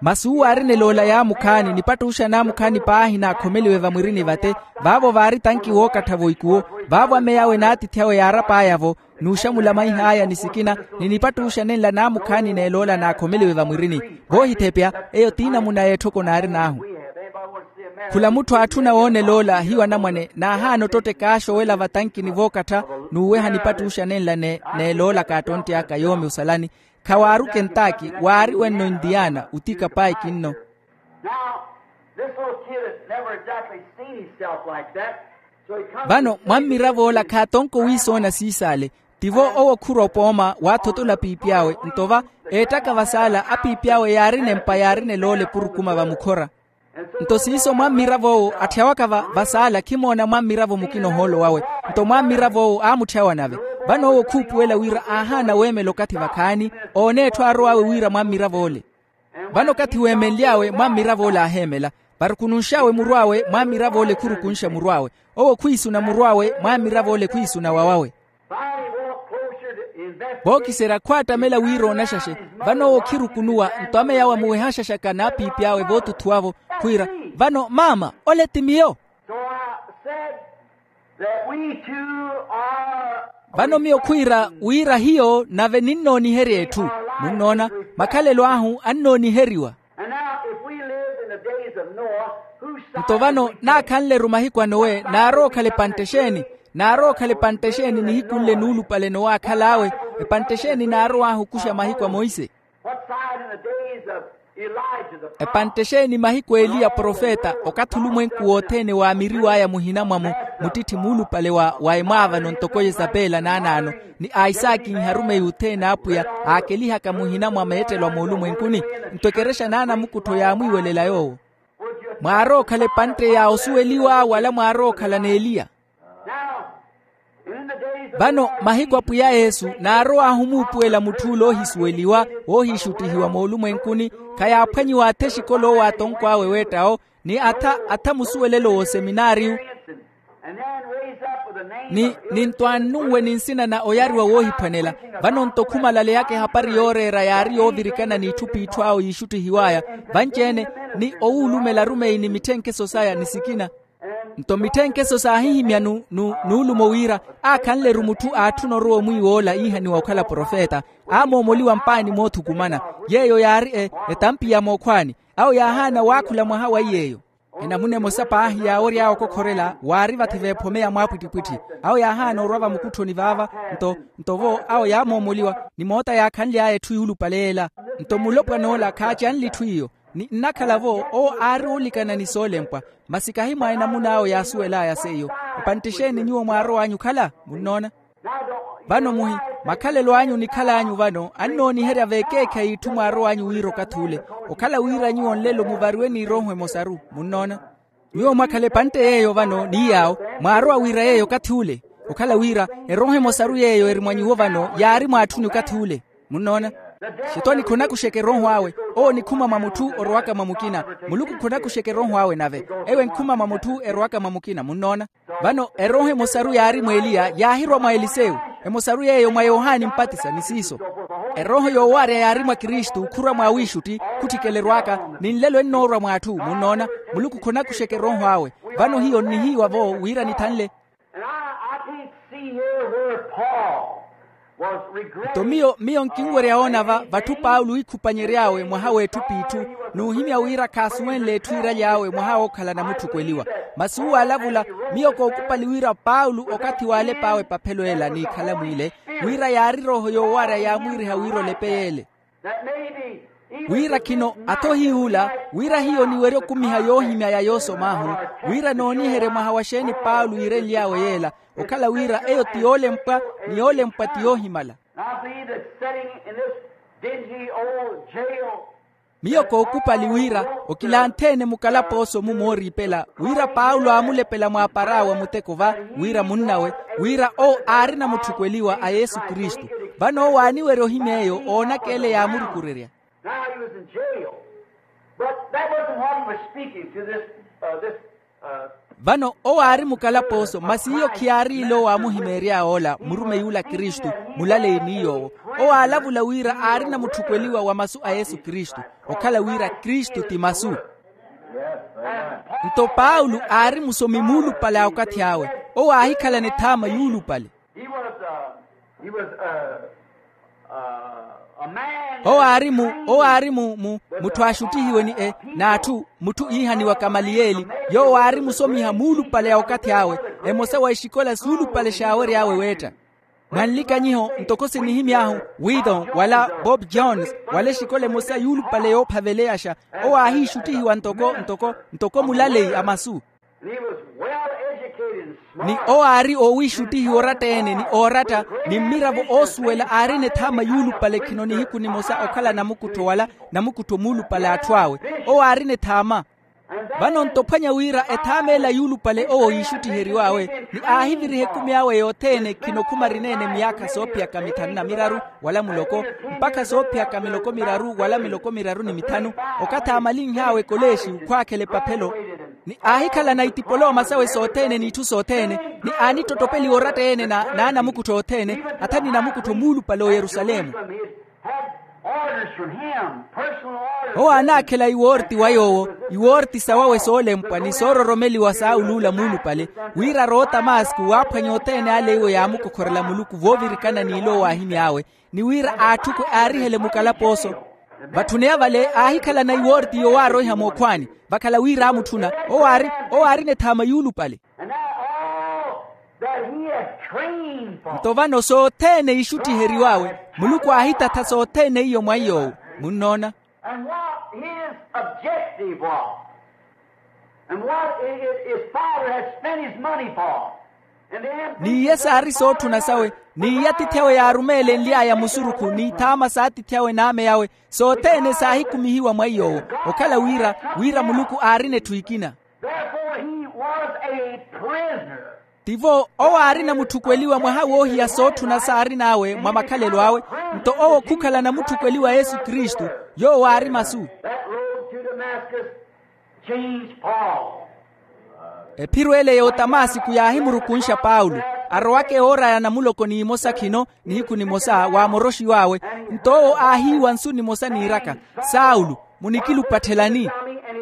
Masi uwo aarina eloola yaamukhaani nipattuxa naamukhaani paahi naakhomeliwe vamwirini vate. Vaavo vaari tanki wookattha-vo ikuwo. Vaavo ameya awe n'atiithi awe yaarap'aya-vo, n'uxamula maih'aya ni sikina, ni nipattuxa nenla naamukhaani n'eloola naakhomeliwe vamwirini. Voohithepya, eyo t'inamuna y'etthoko naarin'ahu. Khula mutthu aatthuna woona eloola hiyo anamwane naahaana ottotte kaaxowela vatankini vookattha, n'uweha nipattuxa nenla n'eloola kaattontte aka yoomi osalani. Khawaaru kentaki waari wenno indiana utika paiki nno. Vano mwammirav'ola khaatonko wiisoona siisaale. Tivo owo khurwa opooma waathotola piipy'awe nto va eettaka vasaala apiipy'awe yaarina empa yaarina eloola epurukuma vamukhora. Nto siiso mwammirav'owo atthya waka vasaala khimoona mwammiravo mukina ohoolo wawe. Nto mwammirav'owo aamutthyawa nave. Vano owo khuupuwela wira aahaana weemela okathi vakhaani oone etthu aarow'awe wira mwammirav'ole. Vano okathi weemenly'awe mwammirav'ole aaheemela. Varukununx'awe murw'awe mwammirav'ole khurukunxa murw'awe. Owo khwiisuna murw'awe mwammirav'ole khwiisuna wawawe. Vookiserya khwaattamela wira oonaxaxe. Vano owo khirukunuwa nto ameya awe amuwehaxaxaka n'apiipy'awe vootutthuwa-vo khwiira, vano maama ole ti miyo. Vano miyo khwiira wira hiyo nave ninnooniherya etthu. Munnoona? Makhalelo ahu annooniheryiwa. Nto vano naakhanle-ru mahiku a nowe naarowa okhala epantte exeeni? Naarowa okhala epantte exeeni nihiku nle nuulupale nowe aakhal'awe? Epantte exeeni naarow'ahu okuxa mahiku a monse? Epantte exeeni mahiku a eliya profeta okathi olumwenku wothene waamiriw'aya muhina mwa mu- muttitthi muulupale wa wa emwaavano ntoko yesapela naanaano, ni aisaakinha arumeyi othene a apwiya aakelihaka muhina mwa meettelo a moolumwenkuni. Nto ekerexa n'anamukuttho yaamwiiwelela yoowo. Mwaarowa okhala epantte ya osuweliwa wala mwaarowa okhala n'eliya? Vano mahiku a pwiya yesu naarow'ahu omuupuwela mutthu ole oohisuweliwa, oohiixuttihiwa moolumwenkuni, khayaaphwanyiwa atha exikola owo atonko awe weetta-wo, ni atha atha musuwelelo w'oseminaariyu, ni ni ntwaannunwe ni nsina na oyariwa woohiphwanela. Vano nto khumalaleyaka ehapari yooreera yaari yoovirikana n'itthu p'itthu awo yiixuttihiw'aya, vanci-ene ni owuulumela arumeyi ni mitthenkeso saya ni sikina. Nto mitthenkeso saahihimya nu- nu- nuulumo wira aakhanle-ru mutthu aatthuna orowa omwiiwa ola iihaniwa okhala profeta, aamoomoliwa mpaani moothukumana. Yeeyo yaari e- etampi ya mookhwaani. Awo yaahaana waakhula mwaha wa iy'eyo. Enamuna emosa paahi yaawery'awe okokhorela waari vathi v'ephome ya mwaapwittipwitthi. Awo yaahaana orwa vamukutthoni vaava. Nto nto vo awo yaamoomoliwa, ni moota yaakhanly'aya etthu yuulupale yeela. Nto mulopwana ola khaacanle itthu iyo. Ni nnakhala-vo owo aari oolikana ni soolempwa, masi kahi mwa enamun'awe yaasuwel'aya seiyo. Epantte exeeni nyuwo mwaarow'anyu okhala munnoona? Vano muhi makhalelo anyu onikhal'anyu vano annooniherya v'ekeekhayi itthu mwaarow'anyu wira okathi ule. Okhala wira nyuwo nlelo muvariwe n'erooho emosaru munnoona? Nyuwo mwakhala epantte yeeyo vano ni yaawo, mwaarowa wira yeeyo okathi ule. Okhala wira erooho emosaru yeeyo eri mwa nyuwo vano yaari mwaatthuni okathi ule. Munnoona? Xitoni khunakuxeke erooho awe. Owo onikhuma mwa mutthu orowaka mwa mukina. Muluku khunakuxeke erooho awe nave. Eyo enkhuma mwa mutthu erowaka mwa mukina munnoona? Vano erooho emosaru yaari mw'eliya yaahirwa mwa elisewu. Emosaru yeeyo mwa yohani mpatisa ni siiso. Erooho yoowarya yaari mwa kristu khurwa mwa wiixutti, khutthikeleriwaka ni nlelo ennoorwa mw'atthu munnoona. Muluku khunakuxeke erooho awe. Vano hiyo nnihiiwa-vo wira nithanle. And I, I can't see here where Paul was regretting. Nto miyo miyo nkinwerya woona va vatthu paulo iikhupanyery'awe mwaha w'etthu p'itthu, n'uhimya wira khaasuwenle etthu iiraly'awe mwaha wookhala namutthukweliwa. Masi uwo alavula, miyo kookupali wira paulo okathi waalep'awe epaphelo ela n'ikhalamu ile, wira yaari erooho yoowarya yaamwiiriha wira olepe yeele. Wira khino atho hiy'ula, wira hiyo niwerye okumiha yoohimya ya yoosom'ahu, wira nooniherye mwaha wa xeeni paulo yiirenly'awe yeela, okhala wira eyo ti yoolempwa ni yoolempwa ti yoohimala. Now I believe that sitting in this dingy old jail. Miyo kookupali wira okilanthe-ene mukalapooso-mu mooriipela, wira paulo aamulepela mwaapar'awe a muteko va, wira munnawe, wira owo aarina mutthukweliwa a yesu kristu. Vano owo aaniwerya ohimya eyo oonaka ele yaamurukurerya. Now he was in jail. But that wasn't what he was speaking to this, uh, this, uh, Vano owo aari mukalapooso masi iyo khiyaari ile owo aamuhimeery'awe ola murumeyi ula kristu, mulaleyi ni yoowo. Owo aalavula wira aarina mutthukweliwa wa masu a yesu kristu, okhala wira kristu ti masu. Nto paulo aari musomi muulupale a okathi awe. Owo aahikhalana ethaama yuulupale. He was, uh, he was, uh, uh, a man. Owo aari mu owo aari mu mu mutthu aaxuttihiwe ni e n'atthu, mutthu iihaniwa kamaliyeli. Yoowo aari musomiha muulupale a okathi awe, emosa wa exikola suulupale xaawery'awe weetta. Mwanlikanyiho ntoko sinihimy'ahu, withon wala bob jones, wala exikola emosa yuulupale yoophaveleyaxa. Owo aahiixuttihiwa ntoko ntoko ntoko mulaleyi a masu. And he was well educated and smart. Ni owo aari oowiixuttihiwa oratta-ene ni ooratta, ni mmiravo oosuwela aarina ethaama yuulupale khino nihiku nimosa okhala namukuttho wala namukuttho muulupale a atthu awe. Owo aarina ethaama. Vano nto ophwanya wira ethaama ela yuulupale owo yiixuttiheriw'awe, ni aahiviriha ekumi awe yothene khino khuma arina-ene myaakha soophiyaka mithanu na miraru wala muloko, mpakha soophiyaka miloko miraru wala miloko miraru ni mithanu, okathi aamalinh'awe ekolexi khwaakhela epaphelo. Ni aahikhalana itipoloma sawe sothene n'itthu sothene, ni aanittottopeliwa oratta-ene na naanamukuttho othene, atha ni namukuttho muulupale o yerusalemu. Owo aanaakhela iwoorti wa yoowo, iwoorti sawawe soolempwa ni soororomeliwa saawuluula muulupale, wira arowe otamaasku waaphwanya othene ale iwo yaamukokhorela muluku voovirikana n'ilo owo aahimy'awe, ni wira aatthukwe aarihele mukalapooso. Vatthuneya vale aahikhalana iwoorti yowaaroiha mookhwaani, vakhala wira aamutthuna. Owo aari owo aarina ethaama yuulupale. Nto vano sothene iixutthiheriw'awe, muluku aahitatha sothene iyo mwa iy'owo. Munnoona? His objective was, and what his father had spent his money for. N'iye saari sootthuna sawe, n'iye atiithi awe yaarumeelenly'aya musurukhu n'ithaama s'atiithi awe n'ame awe, sothene saahikumihiwa mwa iy'owo, okhala wira wira muluku aarina etthu ekina. Therefore he was a prisoner. Tivo owo aarina mutthukweliwa mwaha woohiya sootthuna saarin'awe mwa makhalelo awe. Nto owo khukhala namutthukweliwa yesu kristu, yoowo aari masu. That road to Damascus changed Paul. Ephiro ele y'otamasiku yaahimurukunxa paulo, arowaka ewoor'aya namuloko n'imosa khino, nihiku nimosa waamoroxiw'awe. Nto owo aahiiwa nsu nimosa niiraka, saulo, munikilupatthelani?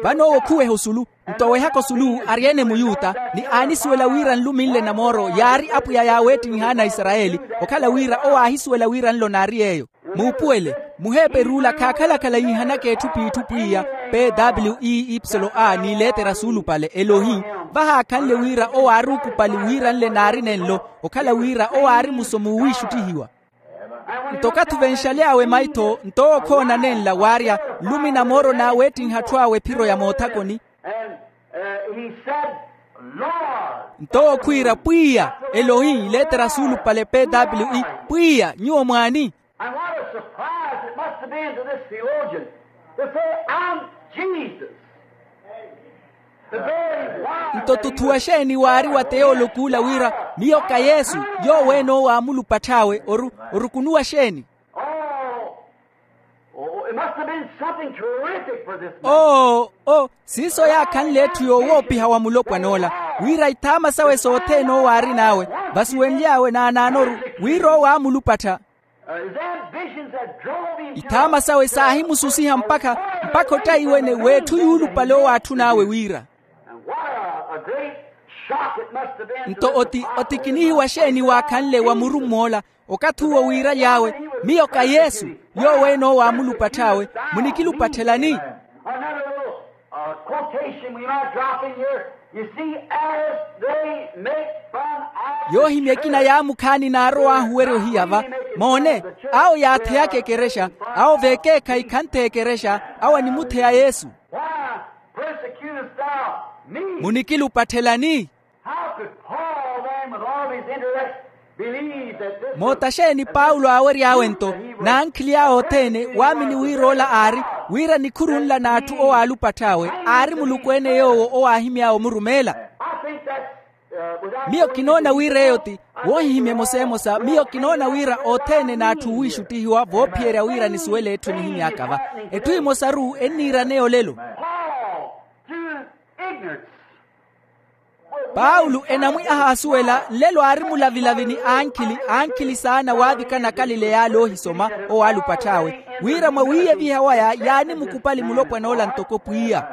Vano owo khuweha osulu. Nto owehaka osulu ari-ene muyuta, ni aanisuwela wira nluminle namooro yaari apwiya yaaweettinha ana a isarayeli. Okhala wira owo aahisuwela wira nlo naari yeeyo. Muupuwele, muheeper'ula khaakhala-khala yiihanaka etthu p'itthu pwiya, pw ipsilo a n'iletera suulupale elohi. Vahaakhanle wira owo aari ukupali wira nle naari nenlo, okhala wira owo aari musomi wiixuttihiwa. Nto okathi ovenxaly'awe maitho nto owo khoona nenla waarya, nlumi namooro naaweettinha atthu awe ephiro ya moothakoni. Nto owo khwiira pwiya, elohi letera suulupale pw, pwiya nyuwo mwaani? And what a surprise it must have been to this theologian to say, "I'm Jesus." Nto tuthuwa xeeni waari wa teyoolok'ula wira, miyo ka yesu, yoowo ene owo aamulupatth'awe orukunuwa xeeni? Oo, oo, siiso yaakhanle etthu yoowoopiha wa mulopwan'ola, wira ithaama sawe sothene owo aarin'awe, vasuwenly'awe naanaanoru, wira owo aamulupattha. Ithaama sawe saahimususiha mpakha, mpakha ottayi wene w'etthu yuulupale owo aatthun'awe wira. Nto oti otikinihiwa xeeni waakhanle wa murumm'ola, okathi uwo wiiraly'awe, miyo ka yesu, yoowo ene owo aamulupatth'awe, munikilupatthelani? Yoohimya ekina yaamukhaani naarow'ahu werya ohiya va. Moone, awo yaatheyaka ekerexa, awo veekeekhayi khantheya ekerexa, awo animutheya yesu. Munikilupatthelani? Moota xeeni paulo aawery'awe nto, n'ankhili awe othene waamini wira ola aari, wira nikhuru nla n'atthu owo aalupatth'awe aari muluku-ene yoowo owo aahimy'awe omurumeela? Miyo kinoona wira eyo ti woohihimya emosa emosa miyo kinoona wira othene n'atthu oowiixuttihiwa voophiyerya wira nisuwele etthu enihimy'aka va. Etthu emosaru enniiraneya olelo. Paulo enamwi ahaasuwela nlelo aari mulavilavi ni ankhili ankhili saana waavikana akalileya ale oohisoma, owo aalupatth'awe wira mwawiiyeviha waya yaanimukupali mulopwan'ola ntoko pwiya.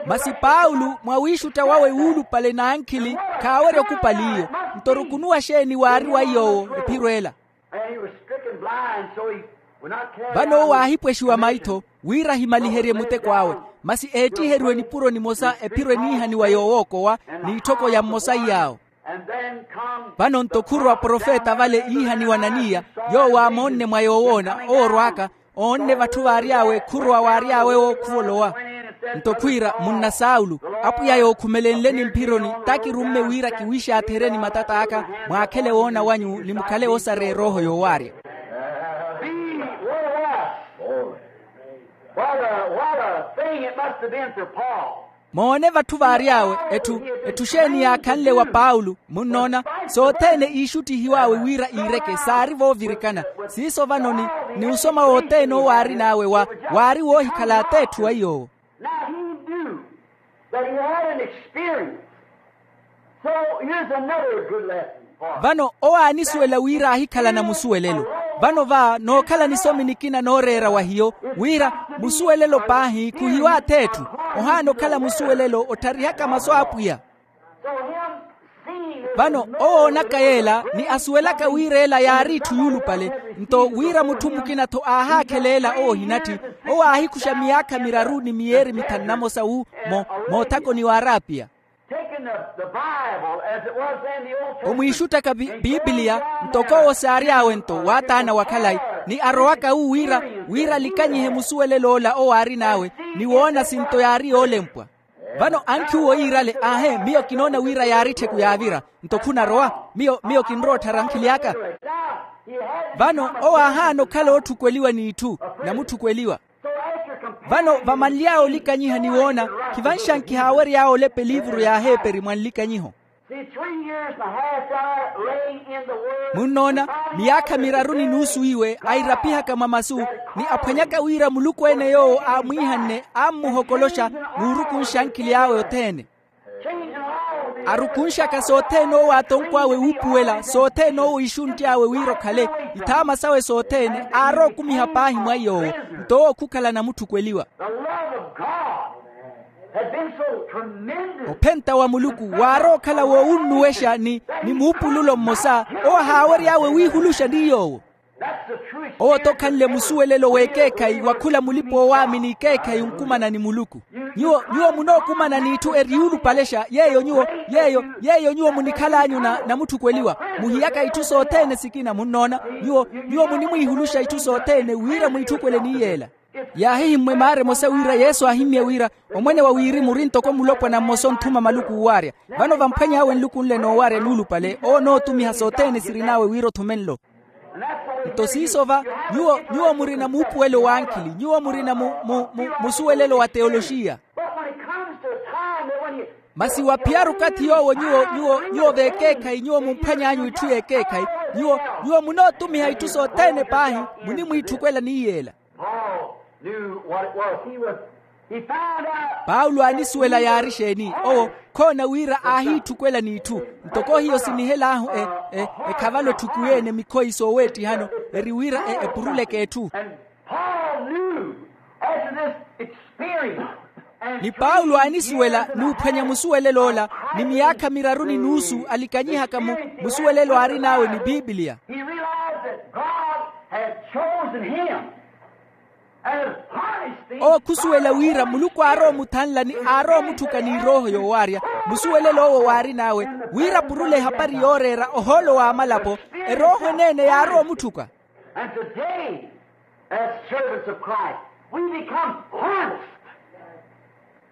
Masi paulo mwawiixutta wawe wuulupale n'ankhili khaawerya okupali iyo. Nto orukunuwa xeeni waari wa iy'owo ephiro ela? Vano owo aahipwexiwa maitho wira ahimaliherye muteko awe. Masi eettiheriwe nipuro nimosa ephiro eniihaniwa yoowookowa n'itthoko ya mmosa iy'awo. Vano nto khurowa profeta vale iihaniwa ananiya, yoowo aamoonne mwa yoowoona owo orw'aka oonne vatthu vaary'awe khurowa waary'awe owo khuvolowa. Nto khwiira munna saulo, apwiya yookhumelenleni mphironi takirumme wira kiwiixaatherye ni matat'aka mwaakhele woona wanyu ni mukhale osareya erooho yoowaarya. Moone vatthu vaary'awe etthu etthu xeeni yaakhanle wa paulo munnoona? Sothene iixuttihiw'awe wira iireke saari voovirikana. Siiso vano ni ni osoma wothene owo aarin'awe wa waari woohikhala ateetthu wa iy'owo. Vano owo aanisuwela wira aahikhalana musuwelelo. Vano va nookhala nisomi nikina nooreera wa hiyo wira musuwelelo paahi khuhiwa atheetthu. Ohaana okhala musuwelelo ottharihaka masu a apwiya. Vano owo oonaka yeela ni asuwelaka wira ela yaari itthu yuulupale. Nto wira mutthu mukina-tho aahaakhela ela owo ohinatthi, owo aahikuxa miyaakha miraru ni miyeeri mithanu namosa wu moothakoni w'arapiya. Omwiixuttaka pipiliya ntoko owo saary'awe-nto waataana wa khalayi. Ni arowaka wu wira wira alikanyihe musuwelel'ola owo aarin'awe, ni woona sinto yaari yoolempwa. Vano ankhi uwo yiirale, aahe, miyo kinoona wira yaari ettheku yaavira. Nto khunarowa? Miyo miyo kinrowa otthara ankhili aka. Vano owo aahaana okhala ootthukweliwa n'itthu, namutthukweliwa. Vano vamanly'awe olikanyiha ni woona, khivanxankiha aawery'awe olepa eliivuru y'aheeperi mwa nlikanyiho. Munnoona, miyaakha miraru ni nuusu iwe airapihaka mwa masu, ni aphwanyaka wira muluku-ene yoowo aamwiihanne aammuhokoloxa, n'urukunxa ankhili awe othene. Arukunxaka sothene owo aatonkw'awe wuupuwela sothene owo iixunty'awe wira okhale, ithaama sawe sothene aarowa okumiha paahi mwa iy'owo. Nto owo khukhala namutthukweliwa. Ophenta wa muluku waarowa okhala woowunnuwexa ni muupululo mmosa, owo ahaawery'awe wiihuluxa ni yoowo. Owo-tho okhanle musuwelelo w'ekeekhayi wa khula mulipa-oowaamini ekeekhayi onkumana ni muluku. Nyuwo nyuwo munookumana n'itthu eriyuulupalexa yeeyo nyuwo yeeyo yeeyo nyuwo munikhal'anyu namutthukweliwa. Muhiyaka itthu sothene sikina munnoona. Nyuwo nyuwo munimwiihuluxa itthu sothene wira mwiitthukwele ni yeela. Yaahihimmwe maara emosa wira yesu aahimmye wira, omwene wa wirimu ori ntoko mulopwana mmosa onthuma maluku oowaarya. Vano vamphwany'awe nluku nle noowaarya nuulupale owo onootumiha sothene sirin'awe wira othume nlo. Nto siiso va, nyuwo nyuwo murina muupuwelo w'ankhili nyuwo murina musuwelelo wa teoloxiya. Masi waphiyaru okathi yoowo nyuwo nyuwo v'ekeekhayi nyuwo mumphwany'anyu itthu y'ekeekhayi, nyuwo nyuwo munootumiha itthu sothene paahi munimwiitthukwela ni yeela. Paulo aanisuwela yaari exeeni? Owo khoona wira aahiitthukwela n'itthu. Ntoko hiyo sinihel'ahu ekhavalo etthukuwi-ene mikhoyi sooweettihano eri wira epuruleke etthu. Ni paulo aanisuwela n'uphwanya musuwelel'ola ni miyaakha miraru ni nuusu alikanyihaka musuwelelo aarin'awe ni pipiliya. Owo khusuwela wira muluku aarowa omuthanla ni aarowa omutthuka n'irooho yoowaarya. Musuwelelo owo waarin'awe wira apurule ehapari yooreera ohoolo w'amalapo. Erooho eneene yaarowa omutthuka. And today, as servants of Christ, we become harnessed,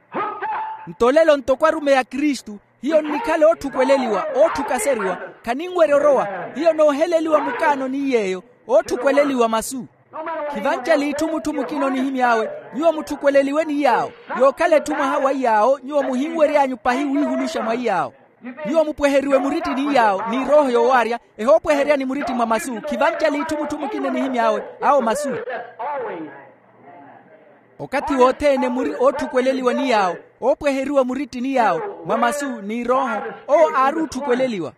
hooked up. Nto olelo ntoko arumeyi a kristu hiyo nnikhala ootthukweleliwa ootthukaseriwa. Khaninwerya orowa hiyo nooheleliwa mukaano ni yeeyo. Ootthukwelela masu. Khivanca l'itthu mutthu mukina onihimy'awe nyuwo mutthukweleliwe ni yaawo. Yookhala etthu mwaha wa iyaawo nyuwo muhinwery'anyu pahi wiihuluxa mwa iyaawo. Nyuwo mupweheriwe muritti ni yaawo ni erooho yoowaarya. Ehoopweherya ni muritti mwa masu khivanca l'itthu mutthu mukina onihimy'awe awo masu. Okathi wothene muri ootthukwelela ni yaawo oopweheriwa muritti ni yaawo mwa masu ni erooho. Owo aari ootthukwelela.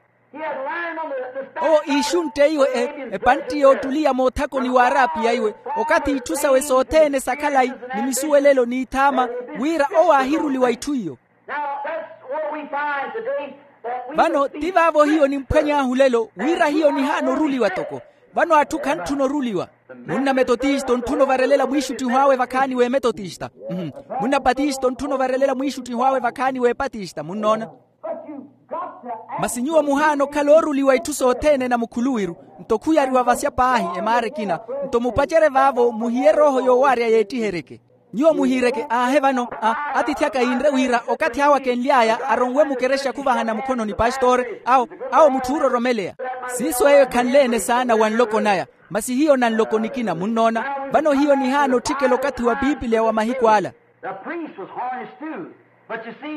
Owo iixuntteiwe epantti yoottuliya moothakoni w'arapiya iwe okathi itthu sawe sothene sa khalayi ni misuwelelo n'ithaama wira owo aahiruliwa itthu iyo. Vano ti vaavo hiyo nimphwany'ahu lelo wira hiyo nihaana oruliwa toko. Vano atthu khantthuna oruliwa. Munna metotista ontthuna ovarelela mwiixuttiho awe vakhaani w'emetotista. Munna patista ontthuna ovarelela mwiixuttiho awe vakhaani w'epatista munnoona. Masi nyuwo muhaana okhala ooruliwa itthu sothene na mukhuluwiru. Nto khuyariwa vasya paahi emaara ekina. Nto mupacerye vaavo muhiye erooho yoowaarya yeettiheryeke. Nyuwo muhiiryeke aahe vano atiithi aka yiinre wira okathi awo akenly'aya aronwe mukerexa khuvahana mukhono ni pastore awo awo mutthu oororomeleya. Siiso eyo ekhanle-ene saana wa nloko naya. Masi hiyo na nloko nikina munnoona. Vano hiyo nihaana otthikela okathi wa pipiliya wa mahiku ala.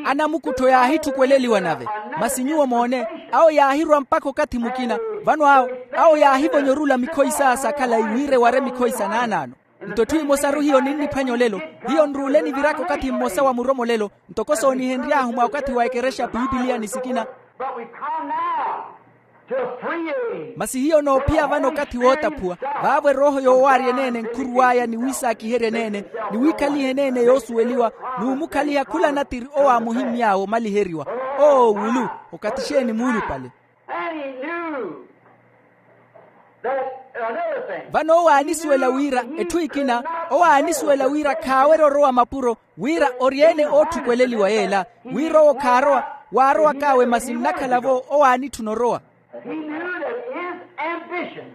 Anamukuttho yaahitthukweleliwa nave. Masi nyuwo moone awo yaahirwa mpakha okathi mukina. Vano awo awo yaahivonyorula mikhoyi saya sa khalayi wira eware mikhoyi sa naanaano. Nto etthu emosaru hiyo ninniphwanya olelo. Hiyo nruule niviraka okathi mmosa wa muromolelo ntoko soonihenry'ahu mwa okathi wa ekerexa pipiliya ni sikina. Masi hiyo noophiya vano okathi wootaphuwa vaavo erooho yoowaarya eneene nkhuruw'aya ni wiisaakiherya eneene ni wiikhaliha eneene yoosuweliwa n'umukhaliha khula natiri owo aamuhimmy'awe omaliheriwa. Oo wulu okathi exeeni muulupale. Vano owo aanisuwela wira etthu ekina owo aanisuwela wira khaawerya orowa mapuro wira ori-ene ootthukwelela yeela wira owo khaarowa. Waarowak'awe masi nnakhala-vo owo aanitthuna orowa. He knew that his ambition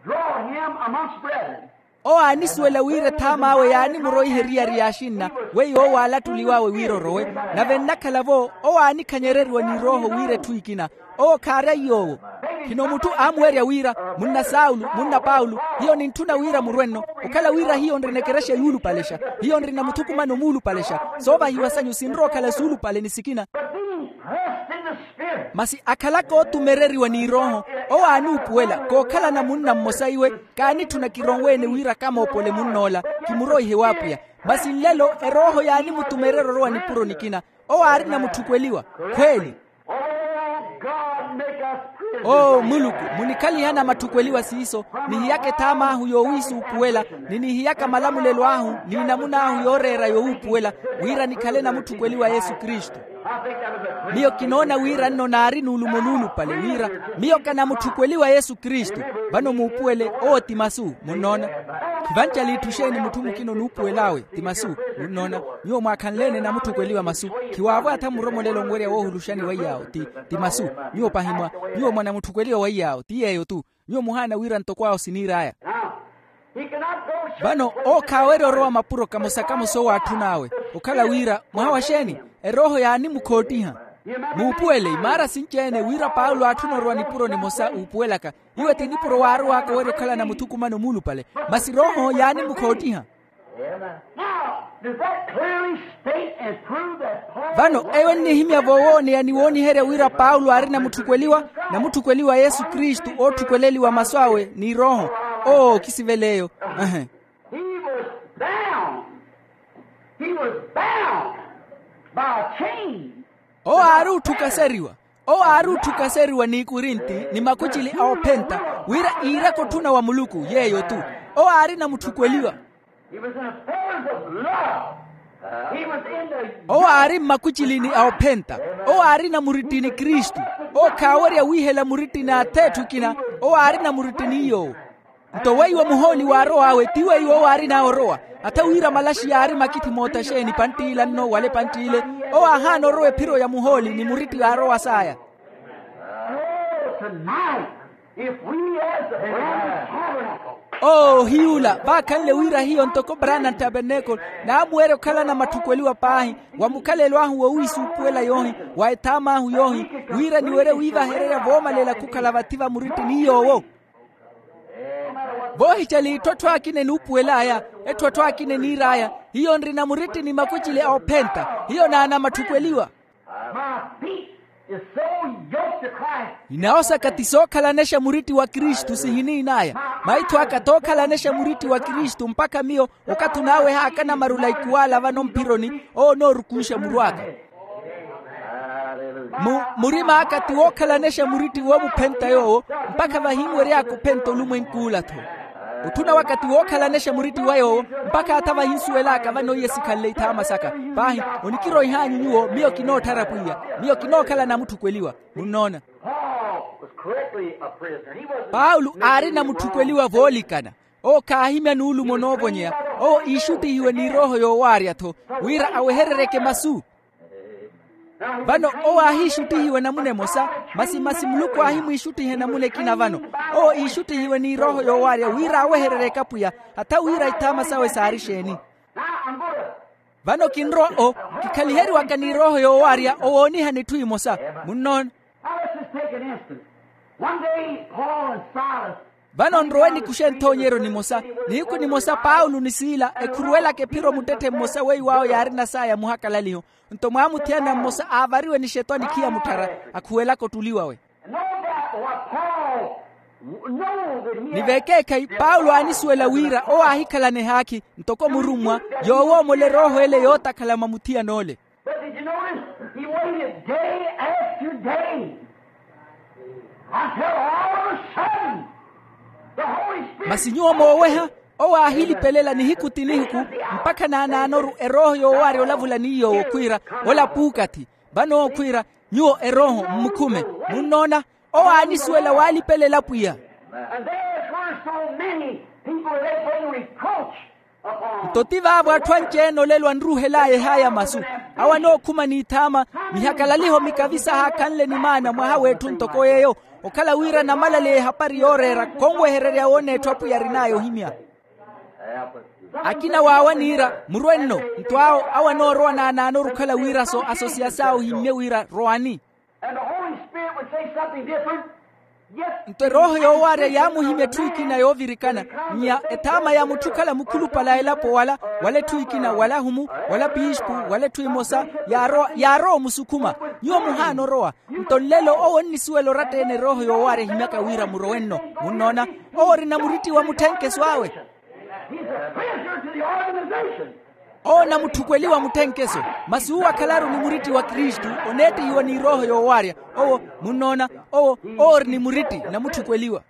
Draw him amongst brethren. Owo aanisuwela wira ethaam'awe yaanimuroiha eriyari y'axinna, weiwo owo aalattuliw'awe wira orowe. Nave nnakhala-vo owo aanikhanyereriwa ni rooho wira etthu ekina. Owo khaari aiy'owo. Khino mutthu aamuwerya wira, munna saulo, munna paulo, hiyo nintthuna wira murwe-nno. Okhala wira hiyo nrina ekerexa yuulupalexa, hiyo nrina muthukumano muulupalexa. Soovahiwa sanyu sinrowa okhala suulupale ni sikina. Masi akhalaka ootumereriwa ni rooho, owo aanuupuwela kookhalana munna mmosa iwe. Kaanitthuna kironwe-ene wira kamoopole munn'ola, kimuroihe w'apwiya. Masi nlelo erooho yaanimutumererya orowa nipuro nikina. Owo aarina mutthukweliwa. Khweeli. Oo muluku, munikhaliha na matthukweliwa siiso, nihiyaka ethaam'ahu yoowiisuupuwela, ni nihiyaka malamulelo ahu ni namun'ahu yooreera yowuupuwela, wira nikhale namutthukweliwa yesu kristu. Miyo kinoona wira nno naari n'ulumo nuulupale wira miyo kanamutthukweliwa yesu kristu. Vano muupuwele owo ti masu munnoona. Khivanca liitthu xeeni mutthu mukina onuupuwel'awe? Ti masu. Munnoona, nyuwo mwaakhanle-ene namutthukweliwa masu. Khiwaavo atha muromolela onwerya woohuluxani waiy'awo ti, ti masu. Nyuwo pahi mwa, nyuwo mwa namutthukweliwa waiy'awo ti yeeyo-tu. Nyuwo muhaana wira ntoko awo siniir'aya. Vano owo khaawerya orowa mapuro kamosa-kamosa owo aatthun'awe. Okhala wira mwaha wa xeeni? Erooho yaanimukhoottiha. Muupuwele imaara sinci-ene wira paulo aatthuna orowa nipuro nimosa uupuwelaka. Iwe ti nipuro waarow'aka owerya okhalana muthukumano muulupale. Masi rooho yaanimukhoottiha. Vano eyo ennihimya voowooneya ni wooniherya wira paulo aarina mutthukweliwa, namutthukweliwa yesu kristu ootthukweleliwa masu awe ni rooho. Oo kisivela eyo. Ehe. Owo aari otthukaseriwa. Owo aari otthukaseriwa n'ikurinti ni makucili a ophenta, wira iiraka otthuna wa muluku yeeyo-tu. Owo aarina mutthukweliwa. Owo aari mmakucilini a ophenta. Owo aarina muritti ni kristu. Owo khaawerya wiihela muritti n'ath'etthu ekina. Owo aarina muritti ni yoowo. Nto weiwo muhooli waarow'awe ti weiwo owo aarin'awe orowa. Atha wira malaxi yaari makithi mootaxeeni pantt'ila nno wala epantt'ile. Owo aahaana orowa ephiro ya muhooli ni muritti aarowa saaya. Oo ohiyuula vaakhanle wira hiyo ntoko branham tabernacle naamuwerya okhalana matthukweliwa paahi, wa mukhalelo ahu wowiisuupuwela yoohi, wa ethaam'ahu yoohi, wira niwerye wiivahererya voomalela khukhala vathi va muritti ni yoowo. Voohicela itthu atthu akina enuupuwel'aya, etthu atthu akina eniir'aya, hiyo nrina muritti ni makucili a ophenta. Hiyo naana matthukweliwa. Inawo saka ti sookhalanexa muritti wa kristu sihiniin'aya. Maitho aka tookhalanexa muritti wa kristu mpakha miyo okathi onaawehaaka namarula ikuwala vano mphironi. Owo onoorukunxa muru aka. Murima aka ti wookhalanexa muritti woomuphenta yoowo, mpakha vahinwery'aka ophenta olumwenk'ula-tho. Otthuna waka ti wookhalanexa muritti wa yoowo, mpakha atha vahinsuwel'aka vano iye sikhanle ithaama saka. Paahi, onikiroih'anyu nyuwo miyo kinootthara pwiya. Miyo kinookhala namutthukweliwa. Munnoona? Paulo aarina mutthukweliwa voolikana. Owo khaahimya nuulumo noovonyeya. Owo iixuttihiwe ni erooho yoowaarya-tho, wira awehereryeke masu. Vano owo aahiixuttihiwe namuna emosa, masi masi muluku aahimwiixuttiha namuna ekina vano. Owo iixuttihiwe ni erooho yoowaarya wira awehereryeke apwiya, hatha wira ithaama sawe saari exeeni. Vano kinrowa o, kikhaliheriwaka ni erooho yoowaarya owoonihana etthu emosa. Munnoona? Now let's just take an instance. One day Paul and Silas. Vano nrowe nikuxe nthoonyeryo nimosa. Nihiku nimosa paulo ni siila ekhuruwelaka ephiro muttetthe mmosa weiwo awo yaarina saaya muhakalaliho. Nto mwaamuthiyana mmosa aavariwe nixeto anikhiya mutthara, akhuwelaka ottuli wawe. No doubt what Paul know that he. Ni veekeekhayi paulo aanisuwela wira owo aahikhalana ehaakhi ntoko murummwa, yoowoomola erooho ele yootakhala mwa muthiyan'ole. But did you notice? He waited day after day until all of a sudden the Holy Spirit. Masi nyuwo mooweha, owo aahilipelela nihiku ti nihiku, mpakha naanaanoru erooho yoowaarya olavula ni yoowo khwiira, ola puukathi. Vano owo khwiira, nyuwo erooho mmukhume. Munnoona? Owo aanisuwela waalipelela pwiya. And there were so many people that they bring reproach. Nto ti vaavo atthu anci-ene olelo anruuhel'aya ehaya masu, awo anookhuma n'ithaama, mihakalaliho mikavisa haakhanle ni maana mwaha w'etthu ntoko yeeyo, okhala wira namalaleya ehapari yooreera khonwehererya woona etthu apwiya arin'aya ohimya. Akina waawo aniira murwe nno. Nto awo awo anoorowa naanaanoru okhala wira so asosiyasi awo ohimmye wira rowani. And the Holy Spirit would say something different. Nto erooho yoowaarya yaamuhimya etthu ekina yoovirikana, nnya ethaama ya mutthu okhala mukhulupale a elapo wala, wala etthu ekina wala ahumu, wala piispu, wala etthu emosa, yaarowa yaarowa omusukhuma, nyuwo muhaana orowa. Nto nlelo owo onnisuwela oratta-ene erooho yoowaarya ehimyaka wira murowe nno. Munnoona? Owo orina muritti wa mutthenkeso awe. He's a prisoner to the organization. Owo onamutthukweliwa mutthenkeso. Masi uwo akhalaru ni muritti wa kristu, oneettihiwa ni erooho yoowaarya. Owo, munnoona, owo owo ori ni muritti namutthukweliwa.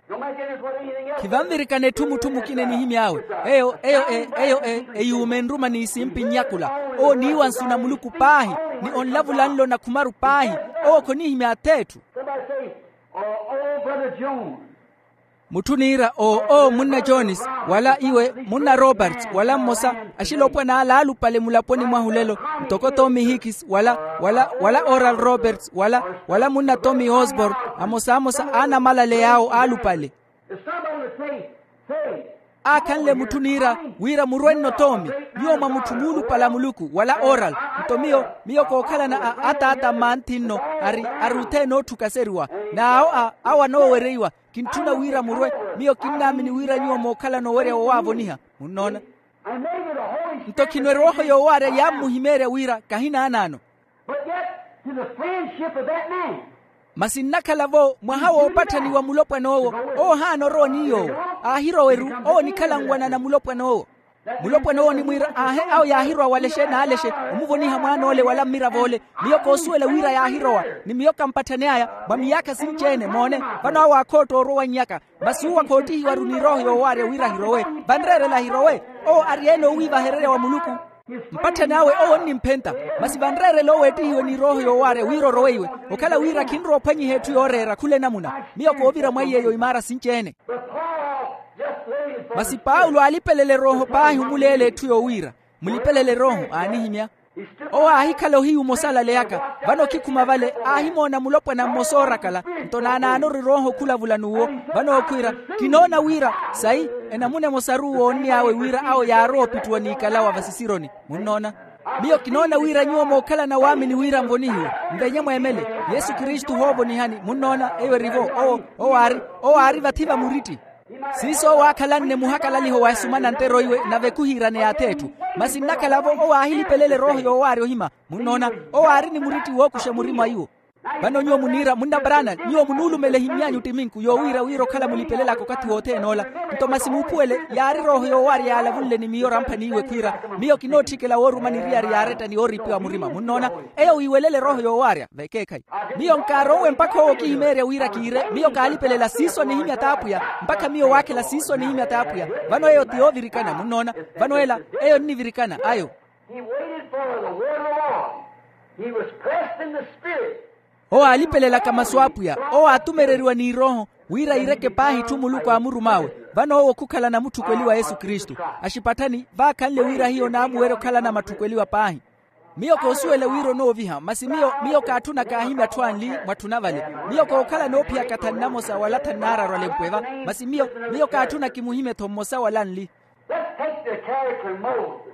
Khivanvirikana etthu mutthu mukina enihimy'awe. Eyo eyo e eyo e eyuuma enruma n'isimpi nnyakula. Owo oniiwa nsu na muluku paahi, ni onlavula nlo na khumaru paahi. Owo khonihimya ath'etthu. Somebody say, oh, oh, brother Jones. Mutthu oniira oo oo munna jones, wala iwe munna roberts wala mmosa, axilopwan'ala aalupale mulaponi mwahu lelo, ntoko tommy hikis wala wala wala oral roberts wala wala munna tommy osborn, amosamosa a anamalale yaawo aalupale. Aakhanle mutthu oniira wira murwe nno tommy, nyuwo mwa mutthu muulupale a muluku wala oral. Nto miyo miyo kookhalana a ataata mmanthi nno, ari ari othene ootthuka aseriwa, n'awo a awo anoowereiwa. Kintthuna wira murwe. Miyo kinnaamini wira nyuwo mookhalana owerya wowaavoniha. Munnoona? Nto khino erooho yoowaarya yaammuhimeerya wira kahinaanaano. Masi nnakhala-vo mwaha woopatthaniwa mulopwan'owo. Owo ohaana orowa ni yoowo. Aahirowa-ru. Owo onikhala nwanana mulopwan'owo. Mulopwana owo onimwiira aahe awo yaahirowa walexe n'alexe, omuvoniha mwaan'ole wala mmirav'ole. Miyo koosuwela wira yaahirowa, ni miyo kampatthane'aya. Mwa miyaakha sinci-ene moone, vano awo aakhootta orwa owannyaka. Masi uwo akhoottihiwaru n'irooho yoowaarya wira ahirowe. Vanreerela ahirowe. Owo ari-ene oowiivahererya wa muluku. Mpatthani awe owo onnimphenta. Masi vanreerela owo eettihiwe n'irooho yoowaarya wira oroweiwe. Okhala wira khinrowa ophwanyiha etthu yooreera khula enamuna. Miyo koovira mwa iy'eyo imaara sinci-ene. Masi paulo aalipelela erooho paahi omuleela etthu yoowiira. Mulipelela erooho aanihimya. Owo aahikhala ohiyu omosalaleyaka. Vano khikhuma vale aahimoona mulopwana mmosa oorakala. Nto naanaanoru erooho okhulavula n'uwo. Vano ookhwiira, kinoona wira sayi enamuna emosaru owo oonny'awe wira awo yaarowa opittuwa n'ikalawa vasisironi. Munnoona? Miyo kinoona wira nyuwo mookhalana waamini wira nvonihiwe. Nvenye mweemele yesu kristu ohoovonihani munnoona eyo erivo. Owo owo aari owo aari vathi va muritti. Siiso owo aakhalanne muhakalaliho wa esumana ntero iwe nave khuhiirane y'ath'etthu. Masi nnakhala-vo owo aahilipelela erooho yoowaarya ohima. Munnoona? Owo aari ni muritti wookuxa murima iwo. Vano nyuwo muniira munna brana nyuwo munuulumela ehimmy'anyu ttiminku yoowiira wira okhala mulipelelaka okathi wothene ola. Nto masi muuphuwele yaari erooho yoowaarya yaalavunle ni miyo ramphani iwe khwiira miyo kinootthikela wooruma niriyari yaaretta ni yooripiwa murima munnoona. Eyo wiiwelela erooho yoowaarya vekeekhayi. Miyo nkaarowe mpakha owo okihimeerya wira kiire miyo kaalipelela siiso anihimya t'apwiya. Mpakha miyo waakhela siiso anihimya t'apwiya. Vano eyo ti yoovirikana munnoona. Vano ela eyo nnivirikana ayo. He waited for the word of the Lord. He was pressed in the spirit. Owo aalipelelaka masu a apwiya. Owo aatumereriwa n'irooho wira iireke paahi itthu muluku aamurum'awe. Vano owo khukhala namutthukweliwa yesu kristu. Axipatthani vaakhanle wira hiyo naamuwerya okhalana matthukweliwa paahi. Miyo koosuwela wira onooviha masi miyo miyo kaatthuna kaahimya atthu anli. Mwatthuna vale miyo kookhala noophiyaka thanu namosa wala thanu naararu alempwe va. Masi miyo miyo kaatthuna kimuhimye-tho mmosa wala anli. Let's take the character of Moses.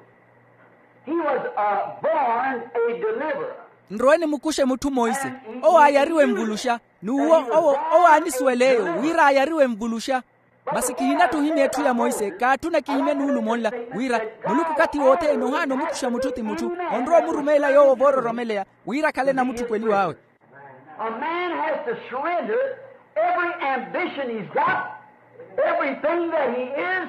He was uh, born a deliverer. Nrowe nimukuxe mutthu monse. Owo aayariwe nvuluxa. N'uwo owo owo aanisuwela eyo wira aayariwe nvuluxa. Masi kihinatthu ohimya etthu ya monse kaatthuna kihimye nuulumo nla wira muluku okathi wothene ohaana omukuxa mutthu ti mutthu. Onrowa omurumeela yoowo voororomeleya wira akhale namutthukweliw'awe. A man has to surrender every ambition he's got, everything that he is.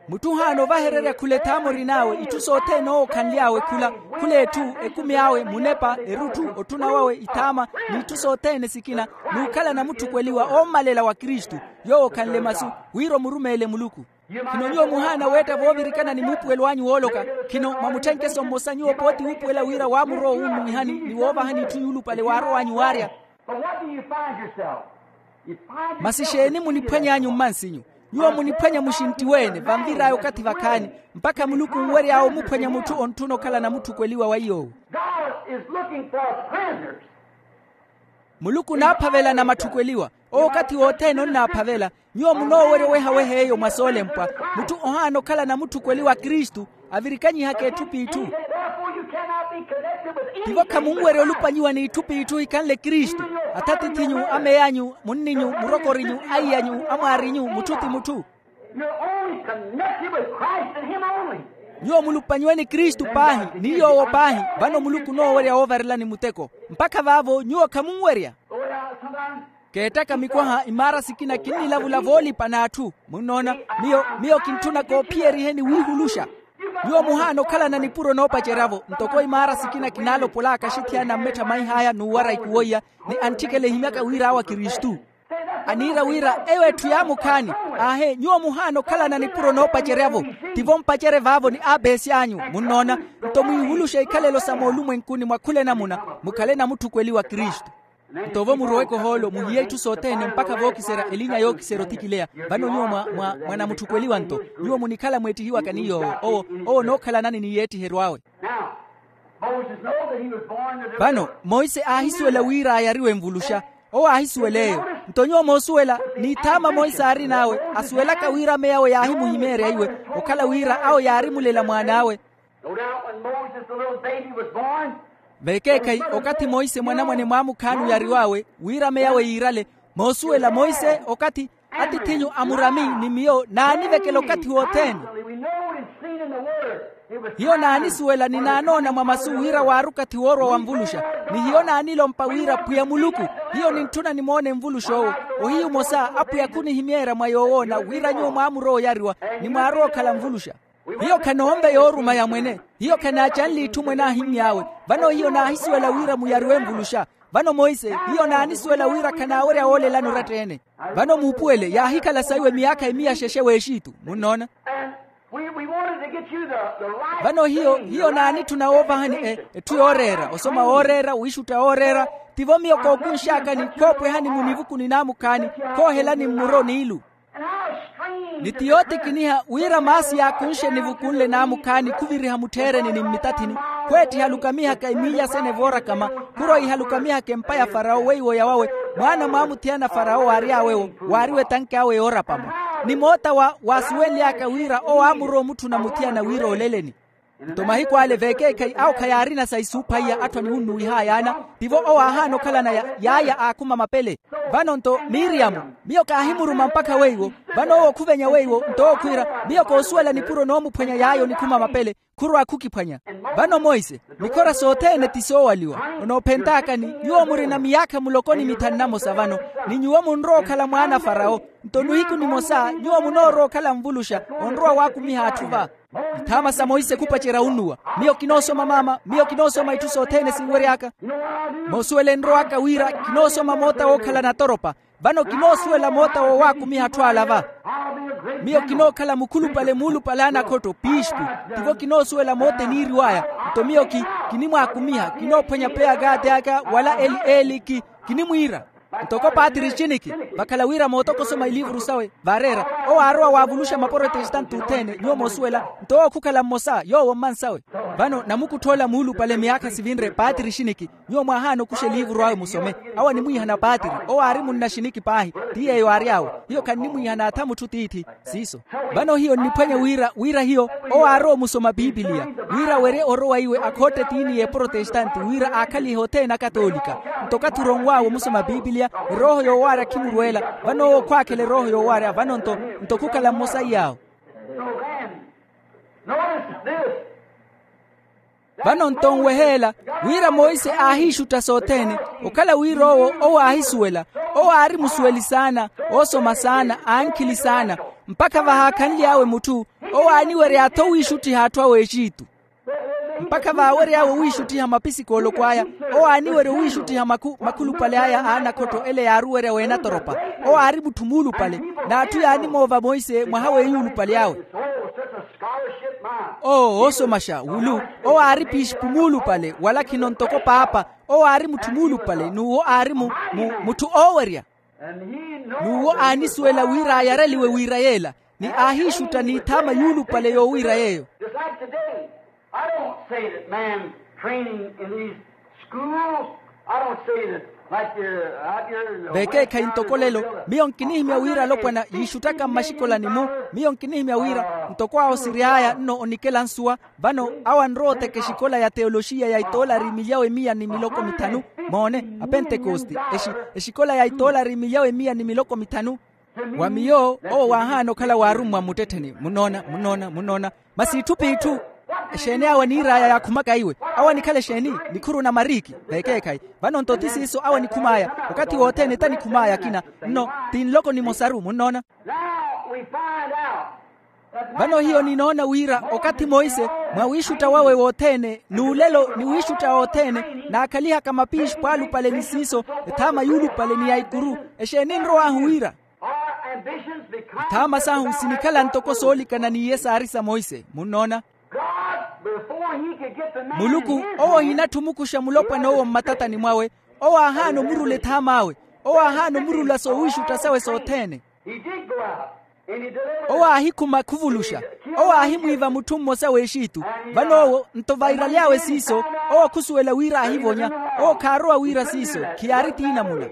Mutthu ohaana ovahererya khula ethaama orin'awe itthu sothene owo okhanly'awe khula. Khula etthu ekumi awe munepa erutthu otthuna wawe ithaama n'itthu sothene sikina n'ukhala namutthukweliwa oomalela wa kristu. Yoowo okhanle masu wira omurumeele muluku. Khino nyuwo muhaana weetta voovirikana ni muupuwelo anyu wooloka. Khino mwa mutthenkeso mmosa nyuwo pooti wuupuwela wira waamurowa owuummihani ni woovahani itthu yuulupale waarow'anyu waarya. But what do you find yourself? Masi xeeni muniphwany'anyu mmansinyu? Nyuwo muniphwanya muxinttiwe-ene vanvir'aya okathi vakhaani, mpakha muluku onwery'awe omuphwanya mutthu ontthuna okhala namutthukweliwa wa iy'owo. God is looking for prisoners. Muluku onaaphavela namatthukweliwa. Owo okathi wothene onnaaphavela. Nyuwo munoowerya owehaweha eyo mwa soolempwa. Mutthu ohaana okhala namutthukweliwa a kristu, avirikanyihaka etthu p'itthu. Tivo khamunwerya olupanyiwa n'itthu p'itthu ohikhanle kristu. Athatith'inyu, amey'anyu, munni'nyu, murokor'inyu, aiy'anyu, amwaar'inyu, mutthu ti mutthu. Nyuwo mulupanyiwe ni kristu paahi, ni yoowo paahi. Vano muluku onoowerya woovarelani muteko. Mpakha vaavo nyuwo khamunwerya. Keettaka mikwaha imaara sikina kinnilavula voolipa n'atthu. Munnoona, miyo miyo kintthuna koophiyeriheni wiihuluxa. Nyuwo muhaana okhalana nipuro noopacerya-vo ntoko imaara sikina kinaalopol'aka axithiyana mmettha maih'aya n'uwara ikuwo iya, ni antthikela ehimyaka wira awo akristu. Aniira wira eyo etthu yaamukhaani. Aahe nyuwo muhaana okhalana nipuro noopacerya-vo. Tivo mpacerye vaavo ni apeesy'anyu. Munnoona, nto mwiihuluxe ikhalelo sa moolumwenkuni mwa khula enamuna, mukhale namutthukweliwa kristu. Nto vo muroweke ohoolo muhiye itthu sothene mpakha vookiserya elinya yookiserya othikileya. Vano nyuwo mwa mwa mwa namutthukweliwa nto, nyuwo munikhala mweettihiwaka ni yoowo owo owo onookhalanani ni yeettiheryo awe. Vano monse aahisuwela wira ayariwe nvuluxa. Owo aahisuwela eyo. Nto nyuwo moosuwela, n'ithaama monse aarin'awe asuwelaka wira ameya awe yaahimuhimeerya iwe, okhala wira awo yaarimulela mwaan'awe. Vekeekhayi okathi monse mwanamwane mwaamukhaani oyariw'awe wira ameya awe yiirale. Moosuwela monse okathi atiith'inyu amurami ni miyo naanivekela okathi wothene. Hiyo naanisuwela ni naanoona mwa masu wira waari okathi woorwa wa nvuluxa. Ni hiyo naanilompa wira pwiya muluku, hiyo nintthuna nimoone nvulux'owo. Ohiyu omosa apwiya khunihimeerya mwa yoowoona wira nyuwo mwaamurowa oyariwa, ni mwaarowa okhala nvuluxa. Hiyo khanoonve yooruma ya mwene. Hiyo khanaacanle itthu mwene aahimmy'awe. Vano hiyo naahisuwela wira muyariwe nvuluxa. Vano monse hiyo naanisuwela wira khanaawerya woolelani oratta-ene. Vano muupuwele yaahikhala saiwe miyaakha emiya xexe w'exitu. Munnoona? Vano hiyo hiyo naanitthuna woovahani etthu yooreera osoma wooreera wiixutta wooreera. Tivo miyo kookunx'akani khoopwehani mu nivuku ni naamukhaani, khoohelani mmuro n'ilu. Ni ti yootikiniha wira maasi yaakunxe nivuku nle naamukhaani khuviriha mutthiireni ni mmitathini, khweettiha lukamihaka emiiya sene voorakama, khurwa iha lukamihaka empa ya farawo weiwo yawawe. Mwaana mwaamuthiyana farawo waary'awewo waariwe tanki awe yoorapamo. Ni moota wa waasuwenly'aka wira owo aamurowa omutthuna muthiyana wira oleleni. Nto mahiku ale veekeekhayi awo khayaarina sa isuupha iya atthu aniwunnuwih'aya ana. Tivo owo aahaana okhalana yaaya aakhuma mapele. Vano nto miriyamu, miyo kaahimuruma mpakha weiwo. Vano owo khuvenya weiwo nto owo khwiira, miyo koosuwela nipuro noomuphwanya yaaya onikhuma mapele, khurwa khukiphwanya. Vano monse mikhora sothene ti soowaliwa. Onoophent'akani nyuwo murina miyaakha muloko ni mithanu namosa vano, ni nyuwo munrowa okhala mwaana a farawo. Nto nihiku nimosa nyuwo munoorowa okhala nvuluxa, onrowa waakumiha atthu va. Ithaama sa monse khupacerya unnuwa. Miyo kinoosoma maama miyo kinoosoma itthu sothene sinwery'aka. Moosuwela enrow'aka wira kinoosoma moota wookhala natoropa. Vano kinoosuwela moota woowaakumiha atthu ala va. Miyo kinookhala mukhulupale muulupale a anakhotto piispu. Tivo kinoosuwela moota eniiriw'aya. Nto miyo ki kinimwaakumiha kinoophwanya peya kaati aka wala eli eli ki kinimwiira. Ntoko paatiri xiniki vakhala wira mootokosoma iliivuru sawe vaareera. Owo aarowa waavuluxa maporotestante othene nyuwo moosuwela. Nto owo khukhala mmosa yoowo mmansawe. Vano namukuttha ola muulupale miyaakha sivinre paatiri xiniki. Nyuwo mwaahaana okuxa eliivuru awe musome. Awo animwiihana paatiri. Owo aari munna xiniki paahi. Ti yeeyo aary'awe. Hiyo khannimwiihana atha mutthu tiithi. Siiso. Vano hiyo nniphwanya wira wira hiyo owo aarowa omusoma pipiliya wira awerye orowa iwe akhootte tiini y'eporotestante wira aakhalihe othene akatoolika. Nto okathi oronw'awe omusoma pipiliya erooho yoowaarya khimurweela. Vano owo khwaakhela erooho yoowaarya vano nto nto khukhala mmosa iy'awo. Vano nto nweheela wira monse aahiixutta sothene. Okhala wira owo owo aahisuwela owo aari musuweli saana oosoma saana ankhili saana. Mpakha vahaakhanly'awe mutthu owo aaniwerya-tho owiixuttiha atthu awe exitu. Mpakha vaawery'awe owiixuttiha mapisikooloko aya owo aaniwerya owiixuttiha makhulupale aya a anakhotto ele yaaruwerya weenatoropa. Owo aari mutthu muulupale n'atthu yaanimoova monse mwaha w'eyuulupale awe. Oo oosomaxa wulu owo aari piispu muulupale wala khino ntoko paapa. Owo aari mutthu muulupale n'uwo aari mu mutthu oowerya. N'uwo aanisuwela wira ayareliwe wira yeela, ni aahiixutta n'ithaama yuulupale yoowiira yeeyo. Just like today, I don't say that man's training in these schools, I don't say that like you're out here in the veekeekhayi ntoko lelo, miyo nkinihimya wira alopwana yiixuttaka mmaxikolani-mu. Miyo nkinihimya wira ntoko awo siri aya nno onikela nsuwa. Vano awo anrowa oteka exikola ya teyoloxiya ya itoolari milyawe miya ni miloko mithanu. Moone, apentekosti, exikola ya itoolari milyawe miya ni miloko mithanu. Wa miyo owo waahaana okhala waarummwa mmuttettheni. Munnoona, munnoona, munnoona. Masi itthu p'itthu. Exeeni awo aniir'aya yaakhumaka iwe? Awo anikhala exeeni? Nikhuru na mariiki. Veekeekhayi. Vano nto ti siiso awo anikhum'aya. Okathi wothene tanikhum'aya akina. Nno ti nloko nimosaru. Munnoona? Vano hiyo ninoona wira okathi monse, mwa wiixutta wawe wothene n'ulelo ni wiixutta othene, naakhalihaka mapiixi pwaalupale ni siiso, ethaama yuulupale ni ya ikuru. Exeeni nrow'ahu wira? Ithaama sahu sinikhala ntoko soolikana n'iye saari sa monse. Munnoona? Muluku owo ohinatthi omukuxa mulopwana owo mmatatani mwawe. Owo aahaana omurula ethaam'awe. Owo aahaana omurula soowiixutta sawe sothene. Owo aahikhuma khuvuluxa. Owo aahimwiiva mutthu mmosa w'exitu. Vano owo nto vairaly'awe siiso, owo khusuwela wira aahivonya. Owo khaarowa wira siiso, khiyaari tiinamuna.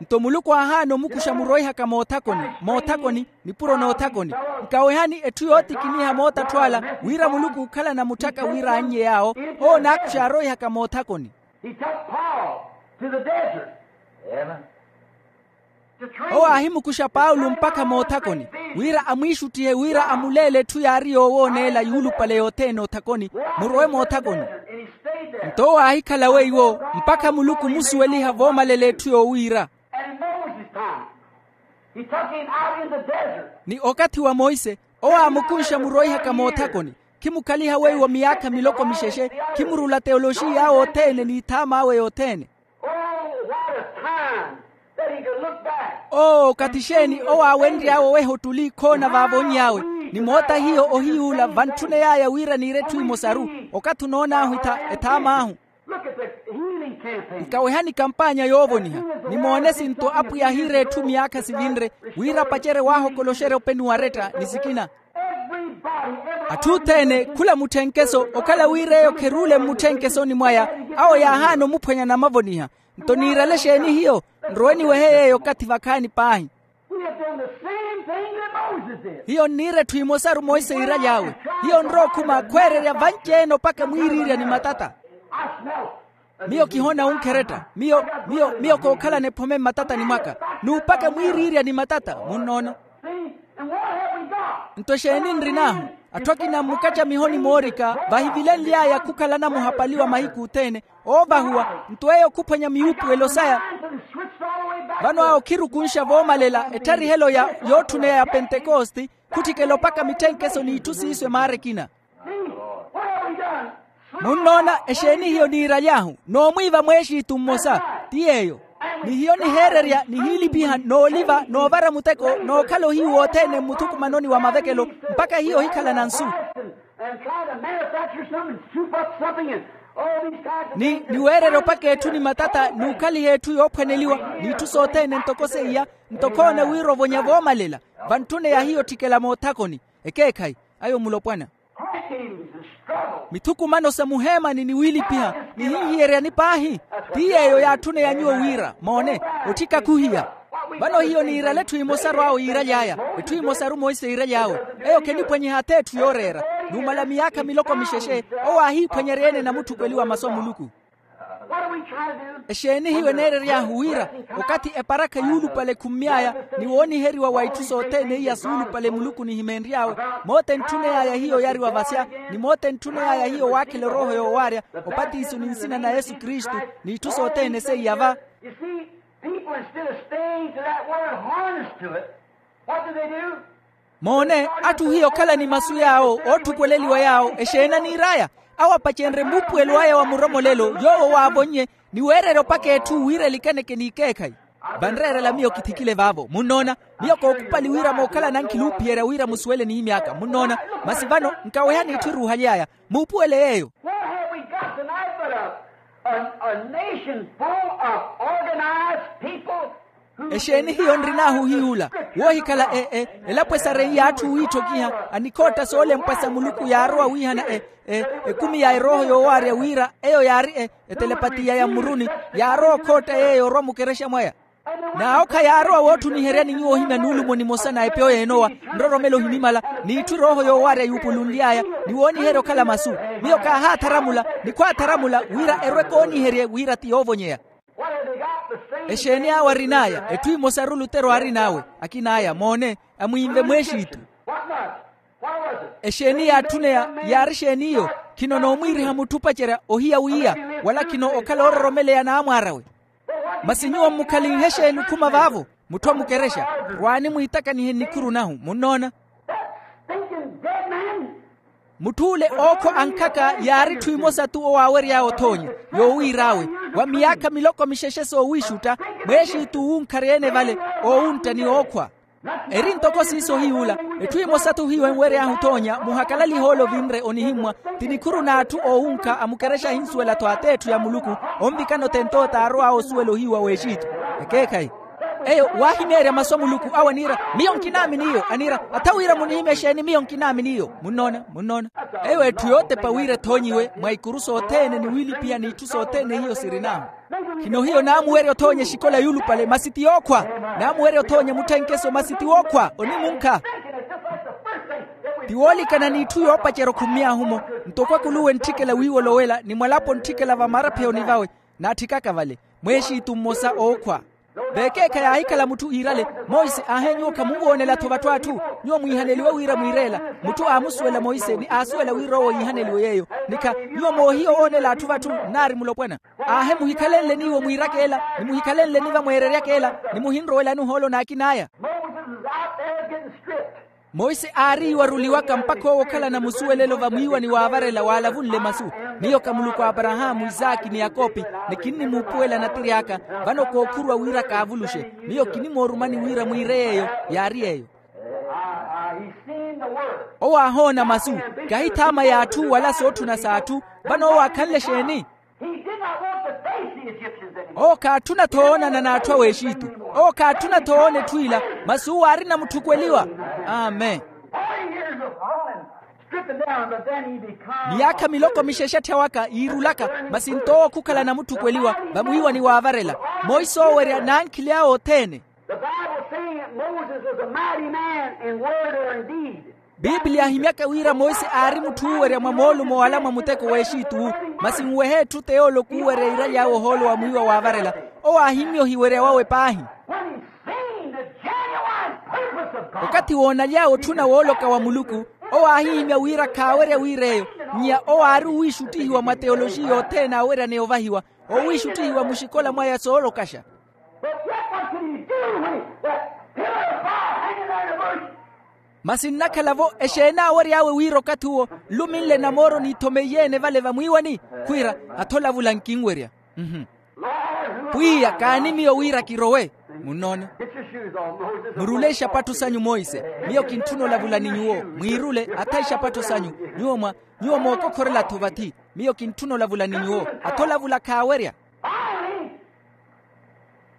Nto muluku aahaana omukuxa muroihaka moothakoni moothakoni, nipuro noothakoni. Nkawehani etthu yootikiniha mootattho ala, wira muluku ookhalana mutthaka wira annye yaawo. Owo naakuxa aaroihaka moothakoni. Owo aahimukuxa paulo mpakha moothakoni, wira amwiixuttihe wira amuleele etthu yaari yoowooneela yuulupale yothene othakoni, murowe moothakoni. Nto owo aahikhala weiwo mpakha muluku omusuweliha voomalela etthu yoowiira. Ni okathi wa monse, owo aamukunxa muroihaka moothakoni, khimukhaliha weiwo miyaakha miloko mixexe, khimurula teyoloxiy'awe othene n'ithaam'awe yothene. Oo, okathi xeeni owo aawenry'awe oweha ottuli khoona vaavonny'awe, ni moota hiyo ohiyuula vantthuney'aya wira niire etthu emosaru. Okathi onoon'ahu ethaam'ahu. Nkawehani kampaanya yoovoniha. Nimoone sinto apwiya ahiira etthu miyaakha sivinre, wira apacerye waahokoloxerya openi waretta ni sikina. Atthu othene khula mutthenkeso okhala wira eyo kheruule mmutthenkesooni mwaya. Awo yaahaana omuphwanya namavoniha. Nto niirale exeeni hiyo? Nrowe niwehe yeeyo okathi vakhaani paahi. Hiyo nniira etthu emosaru monse iiraly'awe. Hiyo nrowa okhuma khweererya vanci-ene opaka mwiiriirya ni matata. Miyo kihoona wunkheretta. Miyo miyo miyo kookhalana ephome mmatatani mwaka, n'upaka mwiiriirya ni matata. Munnoona? Nto exeeni nrin'ahu? Atthu akina mmukacamihoni moorika vahivilenly'aya khukhalana muhapali wa mahiku othene, oovahuwa. Nto eyo khuphwanya miyuupuwelo saya. Vano awo khirukunxa voomalela ettarihelo ya yootthuney'aya pentekosti, khutthikela opaka mitthenkeso n'itthu siiso emaara ekina. Munnoona? Exeeni hiyo niiraly'ahu? Noomwiiva mweexiitu mmosa. Ti yeeyo. Ni hiyo niheererya nihiilipiha nooliva noovara muteko nookhala ohiyu wothene mmuthukumanoni wa mavekelo, mpakha hiyo ohikhala na nsu. Ni niweererya opaka etthu ni matata n'ukhaliha etthu yoophwaneliwa, n'itthu sothene ntoko seiya. Nto khoona wira ovonya voomalela, vantthune ya hiyo otthikela moothakoni. Ekeekhayi ayo mulopwana. Mithukumano sa muheemani ni wiilipiha nihinhiyeryani paahi. Ti yeeyo yaatthuneya nyuwo wira moone, otthika khuhiya. Vano hiyo niirale etthu emosaru awo yiiraly'aya. Etthu emosaru monse yiiraly'awe, eyo kheniphwanyiha ath'etthu yooreera. Numala miyaakha miloko mixexe, owo aahiiphwanyerya-ene namutthukweliwa masu a muluku. Exeeni hiyo eneerery'ahu wira? Okathi eparakha yuulupale ekhummy'aya, ni wooniheriwa wa itthu sothene iya suulupale muluku nihimenry'awe, moota entthuney'aya hiyo yariwa vasya, ni moota entthuney'aya hiyo waakhela erooho yoowaarya opatiso ni nsina na yesu kristu, n'itthu sothene seiya va. People, instead of staying to that word, harness to it. What do they do? Moone, atthu hiyo okhala ni masu yaawo ootthupweleliwa yaawo exeeni aniir'aya? Awo apacenrye muupuwelo aya wa muromolelo yoowo waavonnye, ni weererya opaka etthu wira elikaneke n'ikeekhayi. Vanreerela miyo kithikile vaavo munnoona. Miyo kookhupali wira mookhala nankhili oophiyerya wira musuwele n'imyaaka munnoona. Masi vano nkawehani etthu eruuhaly'aya. Muupuwele yeeyo. A, a nation full of organized people who exeeni hiyo nrin'ahu ohiy'ula, woohikhala e, e, elapo esareiye atthu wiitthokiha anikhootta soolempwa sa muluku yaarowa wiihana e, e, ekumi ya erooho yoowaarya wira eyo yaari e, etelepatiya ya mmuruni, yaarowa okhootta yeeyo orwa mukerexa mwaya. N'awo khayaarowa wootthuniheryani nyuwo ohimya nuulumo nimosa na epyo y'enowa, nroromelo ohinimala, n'itthu erooho yoowaarya yuupulunly'aya, ni wooniherya okhala masu. Miyo kaahaatharamula ni khwaatharamula wira erwe kooniherye wira ti yoovonyeya. Exeeni awo arin'aya? Etthu emosaru lutero aarin'awe, akin'aya moone, amwiinve mwexitu. Exeeni yaatthuneya? Yaari exeeni iyo? Khino noomwiiriha mutthu opacerya ohiya wiiya, wala khino okhala oororomeleya n'amwaar'awe. Masi nyuwo mmukhalinhe exeeni okhuma vaavo? Mutthu amukerexa, rwaani mwiitakanihe nnikhuru nahu munnoona. Mutthu ole ookhwa ankhaka yaari etthu emosa tu owaawery'awe othoonya, yoowiir'awe, wa miyaakha miloko mixexe soowiixutta, mweexitu wuunkharya-ene vale, oowuntta ni ookhwa. Eri ntoko siiso hiy'ula, etthu emosa tu hiyo enwery'ahu othoonya muhakalalihe ole ovinre onihimmwa, ti nikhuru n'atthu oowunkha amukerexa ahinsuwela-tho at'etthu ya muluku, onvikana othent'owo t'arow'awe osuwela ohiyu wa w'exitu. Ekeekhayi. Eyo waahimeerya masu a muluku awo aniira, miyo nkinaamini iyo aniira, atha wira munihimye exeeni miyo nkinaamini iyo munnoona munnoona. Eyo etthu yootepa wira ethoonyiwe mwa ikuru sothene ni wiilipiha n'itthu sothene hiyo sirin'ahu. Khino hiyo naamuwerya othoonya exikola yuulupale masi ti yookhwa. Naamuwerya othoonya mutthenkeso masi ti wookhwa onimunkha. Ti woolikana n'itthu yoopacerya okhummy'ahu-mo, ntoko akuluwe ntthikela wiiwolowela ni mwalapo ntthikela vamaraphiyoni vawe, naatthikaka vale mweexitu mmosa ookhwa. Vekeekha yaahikhala mutthu iirale, monse aahe nyuwo khamunwoonela-tho vatthu atthu. Nyuwo mwiihaneliwe wira mwiireela. Mutthu aamusuwela monse ni aasuwela wira owo iihaneliwe yeeyo. Nikha nyuwo moohiya owoonela atthu vatthu nnaari mulopwana. Aahe muhikhalenle n'iwo mwiiraka ela, ni muhikhalenle niva mweereryaka ela, ni muhinrowelani ohoolo n'akin'aya. Monse aari iwaruliwaka mpakha owo okhala na musuwelelo vamwiiwani waavarela waalavunle masu. Miyo ka muluku a aparahaamu isaaki ni yakopi, ni kinnimuupuwela natiri aka. Vano kookhuruwa wira kaavuluxe. Miyo kinimoorumani wira mwiire yeeyo. Yaari yeeyo. Owo aahoona masu, kahithaama y'atthu wala sootthuna s'atthu. Vano owo aakhanle exeeni? Owo khaatthuna-tho woonana n'atthu a w'exitu. Owo khaatthuna-tho woona etthu ila. Masi uwo aarina mutthukweliwa. Amen. Miyaakha miloko mixexetthya waka yiirulaka, masi nto owo khukhala na mutthukweliwa vamwiiwani waavarela. Monse oowerya n'ankhili awe othene. Bibliya ahimyaka wira monse aari mutthu oowerya mwa moolumo wala mwa muteko w'exitu-wu. Masi nwehe etthu t'eyooloko oowerya iiraly'awe ohoolo wa mwiiwa waavarela. Owo aahimmya ohiwerya wawe paahi. Okathi woonaly'awe otthuna wooloka wa muluku, owo aahihimya wira khaawerya wira eyo. Nnya owo aari owiixuttihiwa mwa teyoloxiya othene aaweryaneya ovahiwa, owiixuttihiwa muxikola mwaya soolokaxa. Masi nnakhala-vo exeeni aawery'awe wira okathi uwo nluminle namooro niithomeiye-ene vale vamwiiwani? Khwiira, atho olavula nkinwerya. Pwiya kaani miyo wira kirowe. Munnoona? Murule ixapattho sanyu monse. Miyo kintthuna olavula ni nyuwo. Mwiirule atha ixapattho sanyu. Nyuwo mwa nyuwo mookokhorela-tho vathi. Miyo kintthuna olavula ni nyuwo. Atha olavula khaawerya. Finally,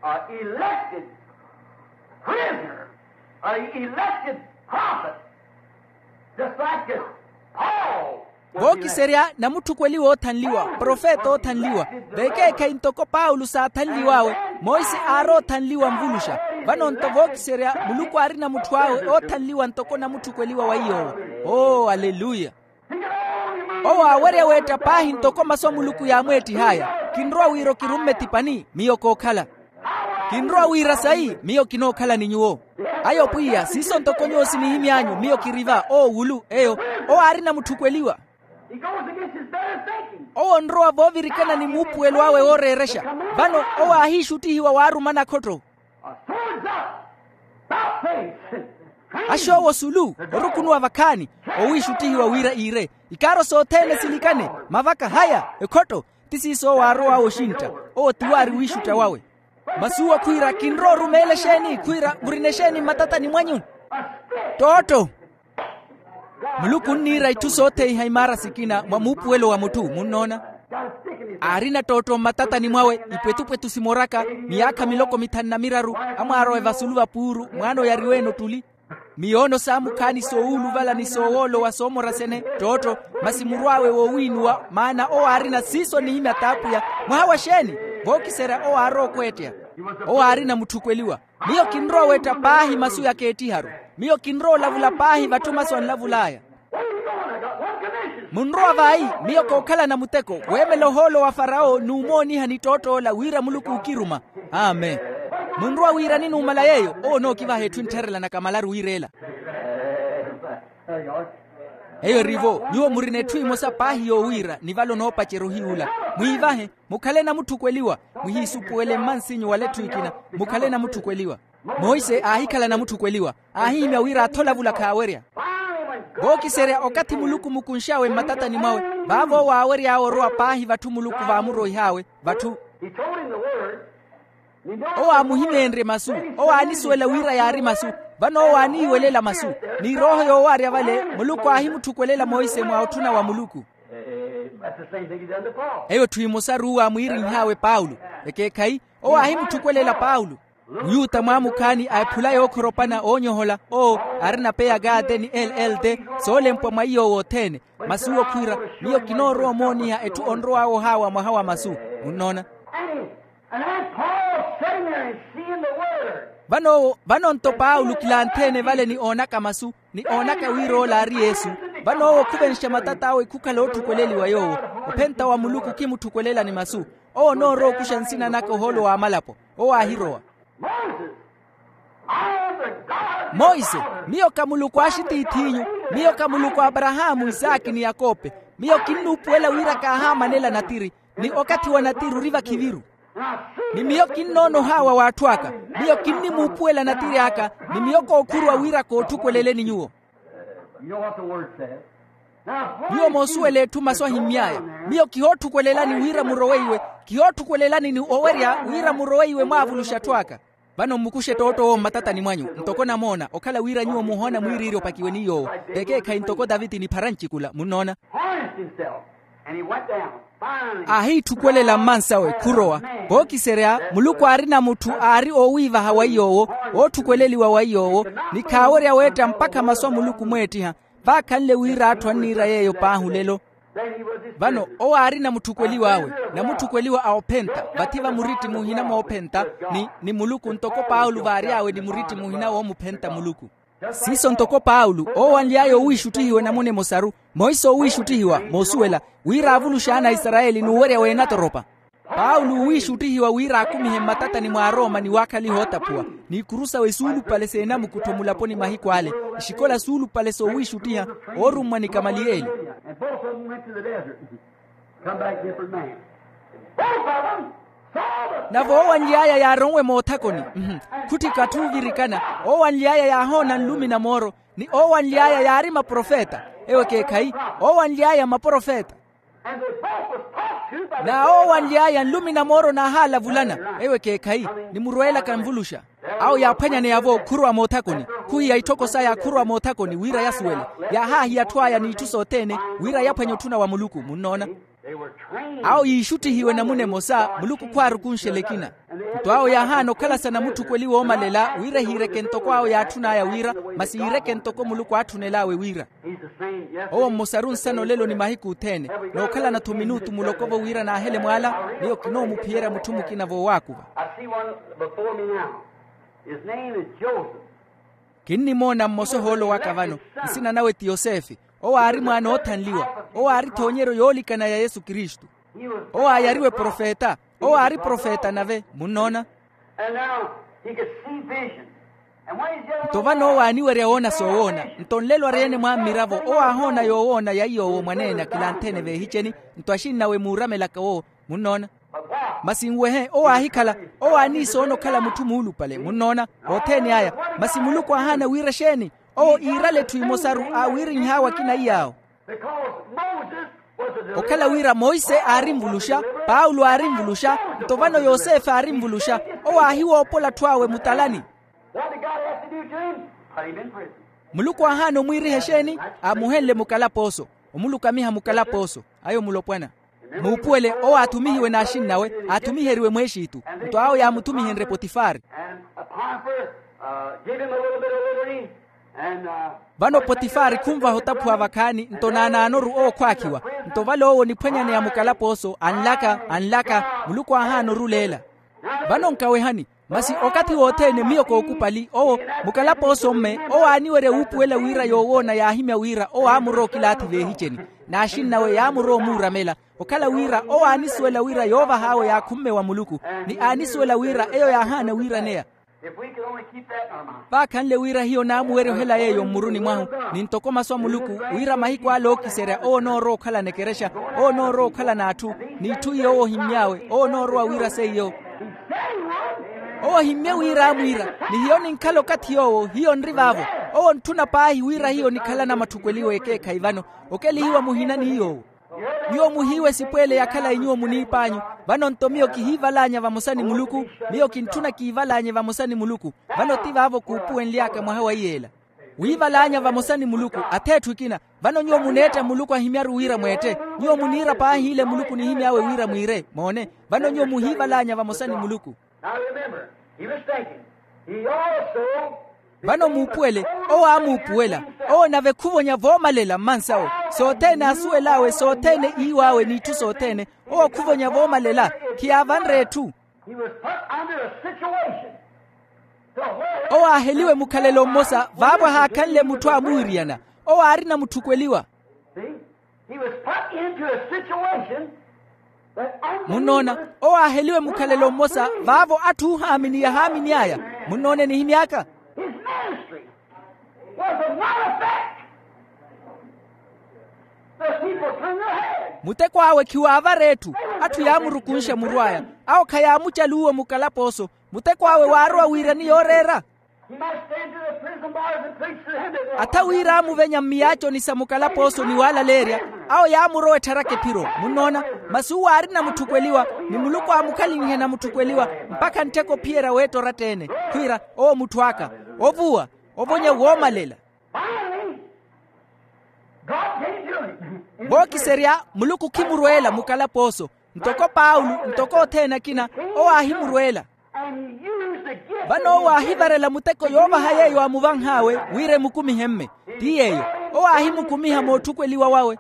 a elected prisoner, a elected prophet, just like this Paul. Vookiserya namutthukweliwa oothanliwa profeta oothanliwa. Vekeekhayi ntoko paulo saathanliw'awe, monse aari oothanliwa nvuluxa. Vano-nto vookiserya muluku aarina mutthu awe oothanliwa ntoko namutthukweliwa wa iy'owo. Oo aleluya. Owo aawerya weetta paahi ntoko masu a muluku yaamweettih'aya. Kinrowa wira okirumme ti pani miyo kookhala. Kinrowa wira sayi miyo kinookhala ni nyuwo. Ayo pwiya siiso ntoko nyuwo sinihimy'anyu miyo kiri va oowulu eyo. Owo aarina mutthukweliwa. Owo onrowa voovirikana ni muupuwelo awe wooreerexa. Vano owo aahiixuttihiwa waaruma nakhotto. Axoowo osulu orukunuwa vakhaani. Owiixuttihiwa wira iire ikaaro sothene silikane. Mavaka haya ekhotto. Ti siiso owo aarow'awe oxintta. Owo ti waari wiixutta wawe. Masi uwo khwiira kinrowa orumeela exeeni khwiira murina exeeni mmatatani mwanyu? Ttootto. Muluku onniira itthu sootheiha imaara sikina mwa muupuwelo wa mutthu munnoona. Aarina ttootto mmatatani mwawe, ipwetupwetu simoraka, miyaakha miloko mithanu na miraru, amwaarowe vasulu va puuru mwaana oyariweene ottuli. Miyoono saamukhaani soowuluvala ni soowoolowa soomorasene ttootto. Masi murw'awe woowiinuwa maana owo aarina siiso onihimya t'apwiya. Mwaha wa xeeni? Vookiserya owo aarowa okweetteya. Owo aarina mutthukweliwa. Miyo kinrowa oweetta paahi masu yakeettiharu. Miyo kinrowa olavula paahi vatthu masu anlavul'aya. Munrowa vayi? Miyo kookhalana muteko weemela ohoolo wa farawo n'umoonihani ttootto ola wira muluku ookiruma. Amen. Munrowa wiirani numala yeeyo? Owo onookivaha etthu enttharelanaka malaru wiira ela. Eyo erivo nyuwo murina etthu emosa paahi yoowiira ni vale onoopacerya ohiy'ula. Mwiivahe. Mukhale namutthukweliwa. Muhiisupuwele mmansinyu wala etthu ekina. Mukhale namutthukweliwa. Monse aahikhala namutthukweliwa. Aahihimya wira atholavula khaawerya. Vookiserya okathi muluku mukunx'awe mmatatani mwawe, vaavo owo aawery'awe orowa paahi vatthu muluku vaamuroih'awe. Vatthu owo aamuhimeenrye masu. Owo aanisuwela wira yaari masu. Vano owo aaniiwelela masu. Ni erooho yoowaarya vale muluku aahimutthukuwelela monse mwa otthuna wa muluku. Eyo etthu emosaru owo aamwiirinh'awe paulo. Ekeekhayi. Owo aahimutthukuwelela paulo. Muyuta mwaamukhaani a ephula yookhoropana oonyohola owo, arina p agate ni l l t, soolempwa mwa iy'owo othene. Masi owo khwiira, miyo kinoorowa omooniha etthu onrow'awe ohaawa mwaha wa masu. Munnoona? Vano owo vano nto paulo kilantheene vale ni oonaka masu, ni oonaka wira ola aari yesu. Vano owo khuvenxa matat'awe khukhala ootthukweleliwa yoowo. Ophenta wa muluku khimutthukwelelani masu. Owo onoorowa okuxa nsina naka ohoolo w'amalapo. Owo aahirowa. Monse, miyo ka muluku a axitiith'inyu. Miyo ka muluku a aparahaamu isaaki ni yakope. Miyo kinnuupuwela wira kaahaamanela natiri, ni okathi wa natiri ori vakhiviru. Ni miyo kinnoona ohaawa w'atthu aka. Miyo kinnimuupuwela natiri aka. Ni miyo kookhuruwa wira kootthukweleleni nyuwo. Nyuwo moosuwela etthu masu ahimmy'aya. Miyo kihootthukwelelani wira muroweiwe. Kihootthukwelelani ni owerya wira muroweiwe mwaavuluxa atthu aka. Vano mmukuxe ttootto owo mmatatani mwanyu ntoko namoona okhala wira nyuwo muhoona mwiiriirya opakiwe ni yoowo. Vekeekhayi ntoko taviti niphara ncikula munnoona. Aahiitthukuwelela mmansawe khurowa. Vookiserya muluku aarina mutthu aari oowiivaha wa iy'owo, ootthukweleliwa wa iy'owo, ni khaawerya weetta mpakha masu a muluku mweettiha. Vaakhanle wira atthu anniira yeeyo paahi olelo. Vano owo aari namutthukweliw'awe, namutthukweliwa a ophenta vathi va muritti muhina moophenta, ni ni muluku ntoko paulo vaary'awe ni muritti muhina woomuphenta muluku. Siiso ntoko paulo oowanly'aya owiixuttihiwa enamuna emosaru. Monse oowiixuttihiwa moosuwela wira aavuluxe ana a isarayeli n'uwerya w'enatoropa. Paulo oowiixuttihiwa wira aakumihe mmatatani mwa arooma ni waakhaliha ootaphuwa, n'ikuru sawe suulupale seenamukuttho mulaponi mahiku ale. Ixikola suulupale soowiixuttiha oorummwa ni kamaliyeli. Navo oowanly'aya yaaronwe moothakoni. Khutthika atthu oovirikana. Oowanly'aya yaahoona nlumi na mooro, ni oowanly'aya yaari maprofeta. Ewo ekeekhayi. Oowanly'aya maprofeta. Na oowanly'aya nlumi na mooro naahaalavulana. Ewo ekeekhayi. Ni murweelaka nvuluxa. Awo yaaphwanyaneya-vo khurowa moothakoni. Khuhiya itthoko saya khurowa moothakoni wira yasuwele. Yaahaahiya atthu aya n'itthu sothene wira yaphwanye otthuna wa muluku munnoona. Awo yiixuttihiwe namuna emosa muluku khwaarukunxela ekina. Nto awo yaahaana okhala sa namutthukweliwa oomalela wira ehiireke ntoko awo yaatthun'aya wira, masi yiireke ntoko muluku aatthunel'awe wira. Owo mmosaru nsana olelo ni mahiku othene. Nookhalana-tho minutu muloko-vo wira naahele mwaala. Miyo kinoomuphiyerya mutthu mukina voowaakuva. Kinnimoona mmosa ohoolo waka vano. Nsina nawe ti yosefe. Owo aari mwaana oothanliwa. Owo aari ethoonyeryo yoolikana ya yesu kristu. Owo aayariwe profeta. Owo aari profeta nave munnoona. Nto vano owo aaniwerya woona soowoona. Nto nlelo ari-ene mwa mmiravo owo aahoona yoowoona ya iy'owo mwaneene akilantheene veehiceni. Nto axinnawe muuramelaka owo. Munnoona. Masi nwehe owo aahikhala. Owo aaniisoona okhala mutthu muulupale munnoona. Othene aya. Masi muluku aahaana wira exeeni? Owo iirale etthu imosaru aawiirinh'awe akina iy'awo. Okhala wira monse aarinvuluxa, paulo aarinvuluxa, nto vano yosefe aarinvuluxa. Owo aahiwoopola atthu awe mutalani. Muluku aahaana omwiiriha exeeni? Aamuhenle mukalapooso. Omulukamiha mukalapooso. Ayo mulopwana. Muupuwele owo aathumihiwe n'axinn'awe, aathumiheriwe mwexitu. Nto awo yaamuthumihenrye potifari. Vano potifari khunvaha otaphuwa vakhaani nto naanaanoru owo khwaakhiwa. Nto vale owo niphwanyaneya mukalapooso anlaka anlaka, muluku aahaana oruleela. Vano nkawehani, masi okathi wothene miyo kookupali owo, mukalapooso mme owo aaniwerya wuupuwela wira yoowoona yaahimya wira owo aamurowa okilaathi veehiceni. N'axinn'awe yaamurowa omuuramela okhala wira owo aanisuwela wira yoovah'awe yaakhumme wa muluku, ni aanisuwela wira eyo yaahaana wiiraneya. Vaakhanle wira hiyo naamuwerya ohela yeeyo mmuruni mwahu, ni ntoko masu a muluku, wira mahiku ale ookiserya owo onoorowa okhalana ekerexa, owo onoorowa okhalana atthu, n'itthu iyo owo ohimmy'awe owo onoorowa wira seiyo. Owo ohimmye wira aamwiira, ni hiyo ninkhala okathi yoowo hiyo nri vaavo. Owo ontthuna paahi wira hiyo nikhalana matthukweliwa ekeekhayi vano, okelihiwa muhina ni yoowo. Nyuwo muhiiwe esipweele ya khalayi nyuwo muniip'anyu. Vano nto miyo kihiivalaanya vamosa ni muluku. Miyo kintthuna kiivalaanye vamosa ni muluku. Vano ti vaavo kuupuwenly'aka mwaha wa iyeela, wiivalaanya vamosa ni muluku. Ath'etthu ekina, vano nyuwo muneetta muluku ahimyaru wira mweette. Nyuwo muniira paahi ile muluku nihimy'awe wira mwiire moone. Vano nyuwo muhiivalaanya vamosa ni muluku. Vano muupuwele, owo aamuupuwela. Owo nave khuvonya voomalela mmansawo, sothene aasuwel'awe sothene iiw'awe n'itthu sothene. Owo khuvonya voomalela, khiyaavanre etthu. Owo aaheliwe mukhalelo mmosa vaavo ahaakhanle mutthu aamuwiriyana. Owo aarina mutthukweliwa. Munnoona, owo aaheliwe mukhalelo mmosa vaavo atthu oohaamini yahaaminy'aya. Munnoona enihimy'aka. Muteko awe khiwaavara etthu. Atthu yaamurukunxa muru aya. Awo khayaamucaluwa mukalapooso. Muteko awe waarowa wiirani yooreera. Atha wira aamuvenya mmiyaaconi sa mukalapooso ni waalaleerya. Awo yaamurowa ettharaka ephiro. Munnoona, masi uwo aarina mutthukweliwa, ni muluku aamukhalinhe na mutthukweliwa, mpakha nttheko ophiyerya weetta oratta-ene. Khwiira, owo mutthu aka, ovuwa, ovonya woomalela. Vookiserya, muluku khimurweela mukalapooso. Ntoko paulo, ntoko othene akina, owo aahimurweela. Vano owo aahivarela muteko yoovaha yeeyo aamuvanh'awe, wira emukumihe mme. Ti yeeyo, owo aahimukumiha mootthukweliwa wawe.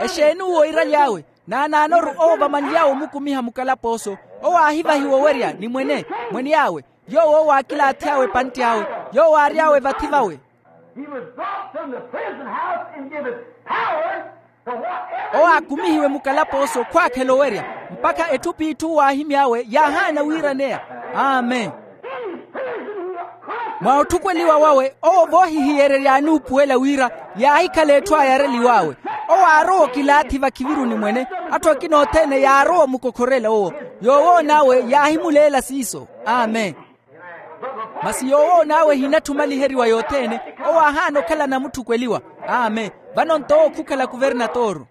Exeeni uwo oiraly'awe? Naanaanoru owo vamanly'awe omukumiha mukalapooso. Owo aahivahiwa owerya ni mwene, mwen'awe, yoowo owo aakilaath'awe epantt'awe, yoowo aary'awe vathi vawe. Owo aakumihiwe mukalapooso khwaakhela owerya, mpakha etthu p'itthu owo aahimy'awe yaahaana wiiraneya. Amen. Mwa otthukweliwa wawe owo voohihiyererya aanuupuwela wira yaahikhala etthu ayareliw'awe. Owo aarowa okilaathi vakhiviruni mwene. Atthu akina othene yaarowa omukokhorela owo. Yoowoon'awe yaahimuleela siiso. Amen. Masi yoowoon'awe ehinatthi omaliheriwa yothene. Owo aahaana okhala namutthukweliwa. Amen. Vano nto owo khukhala kuvernatoro.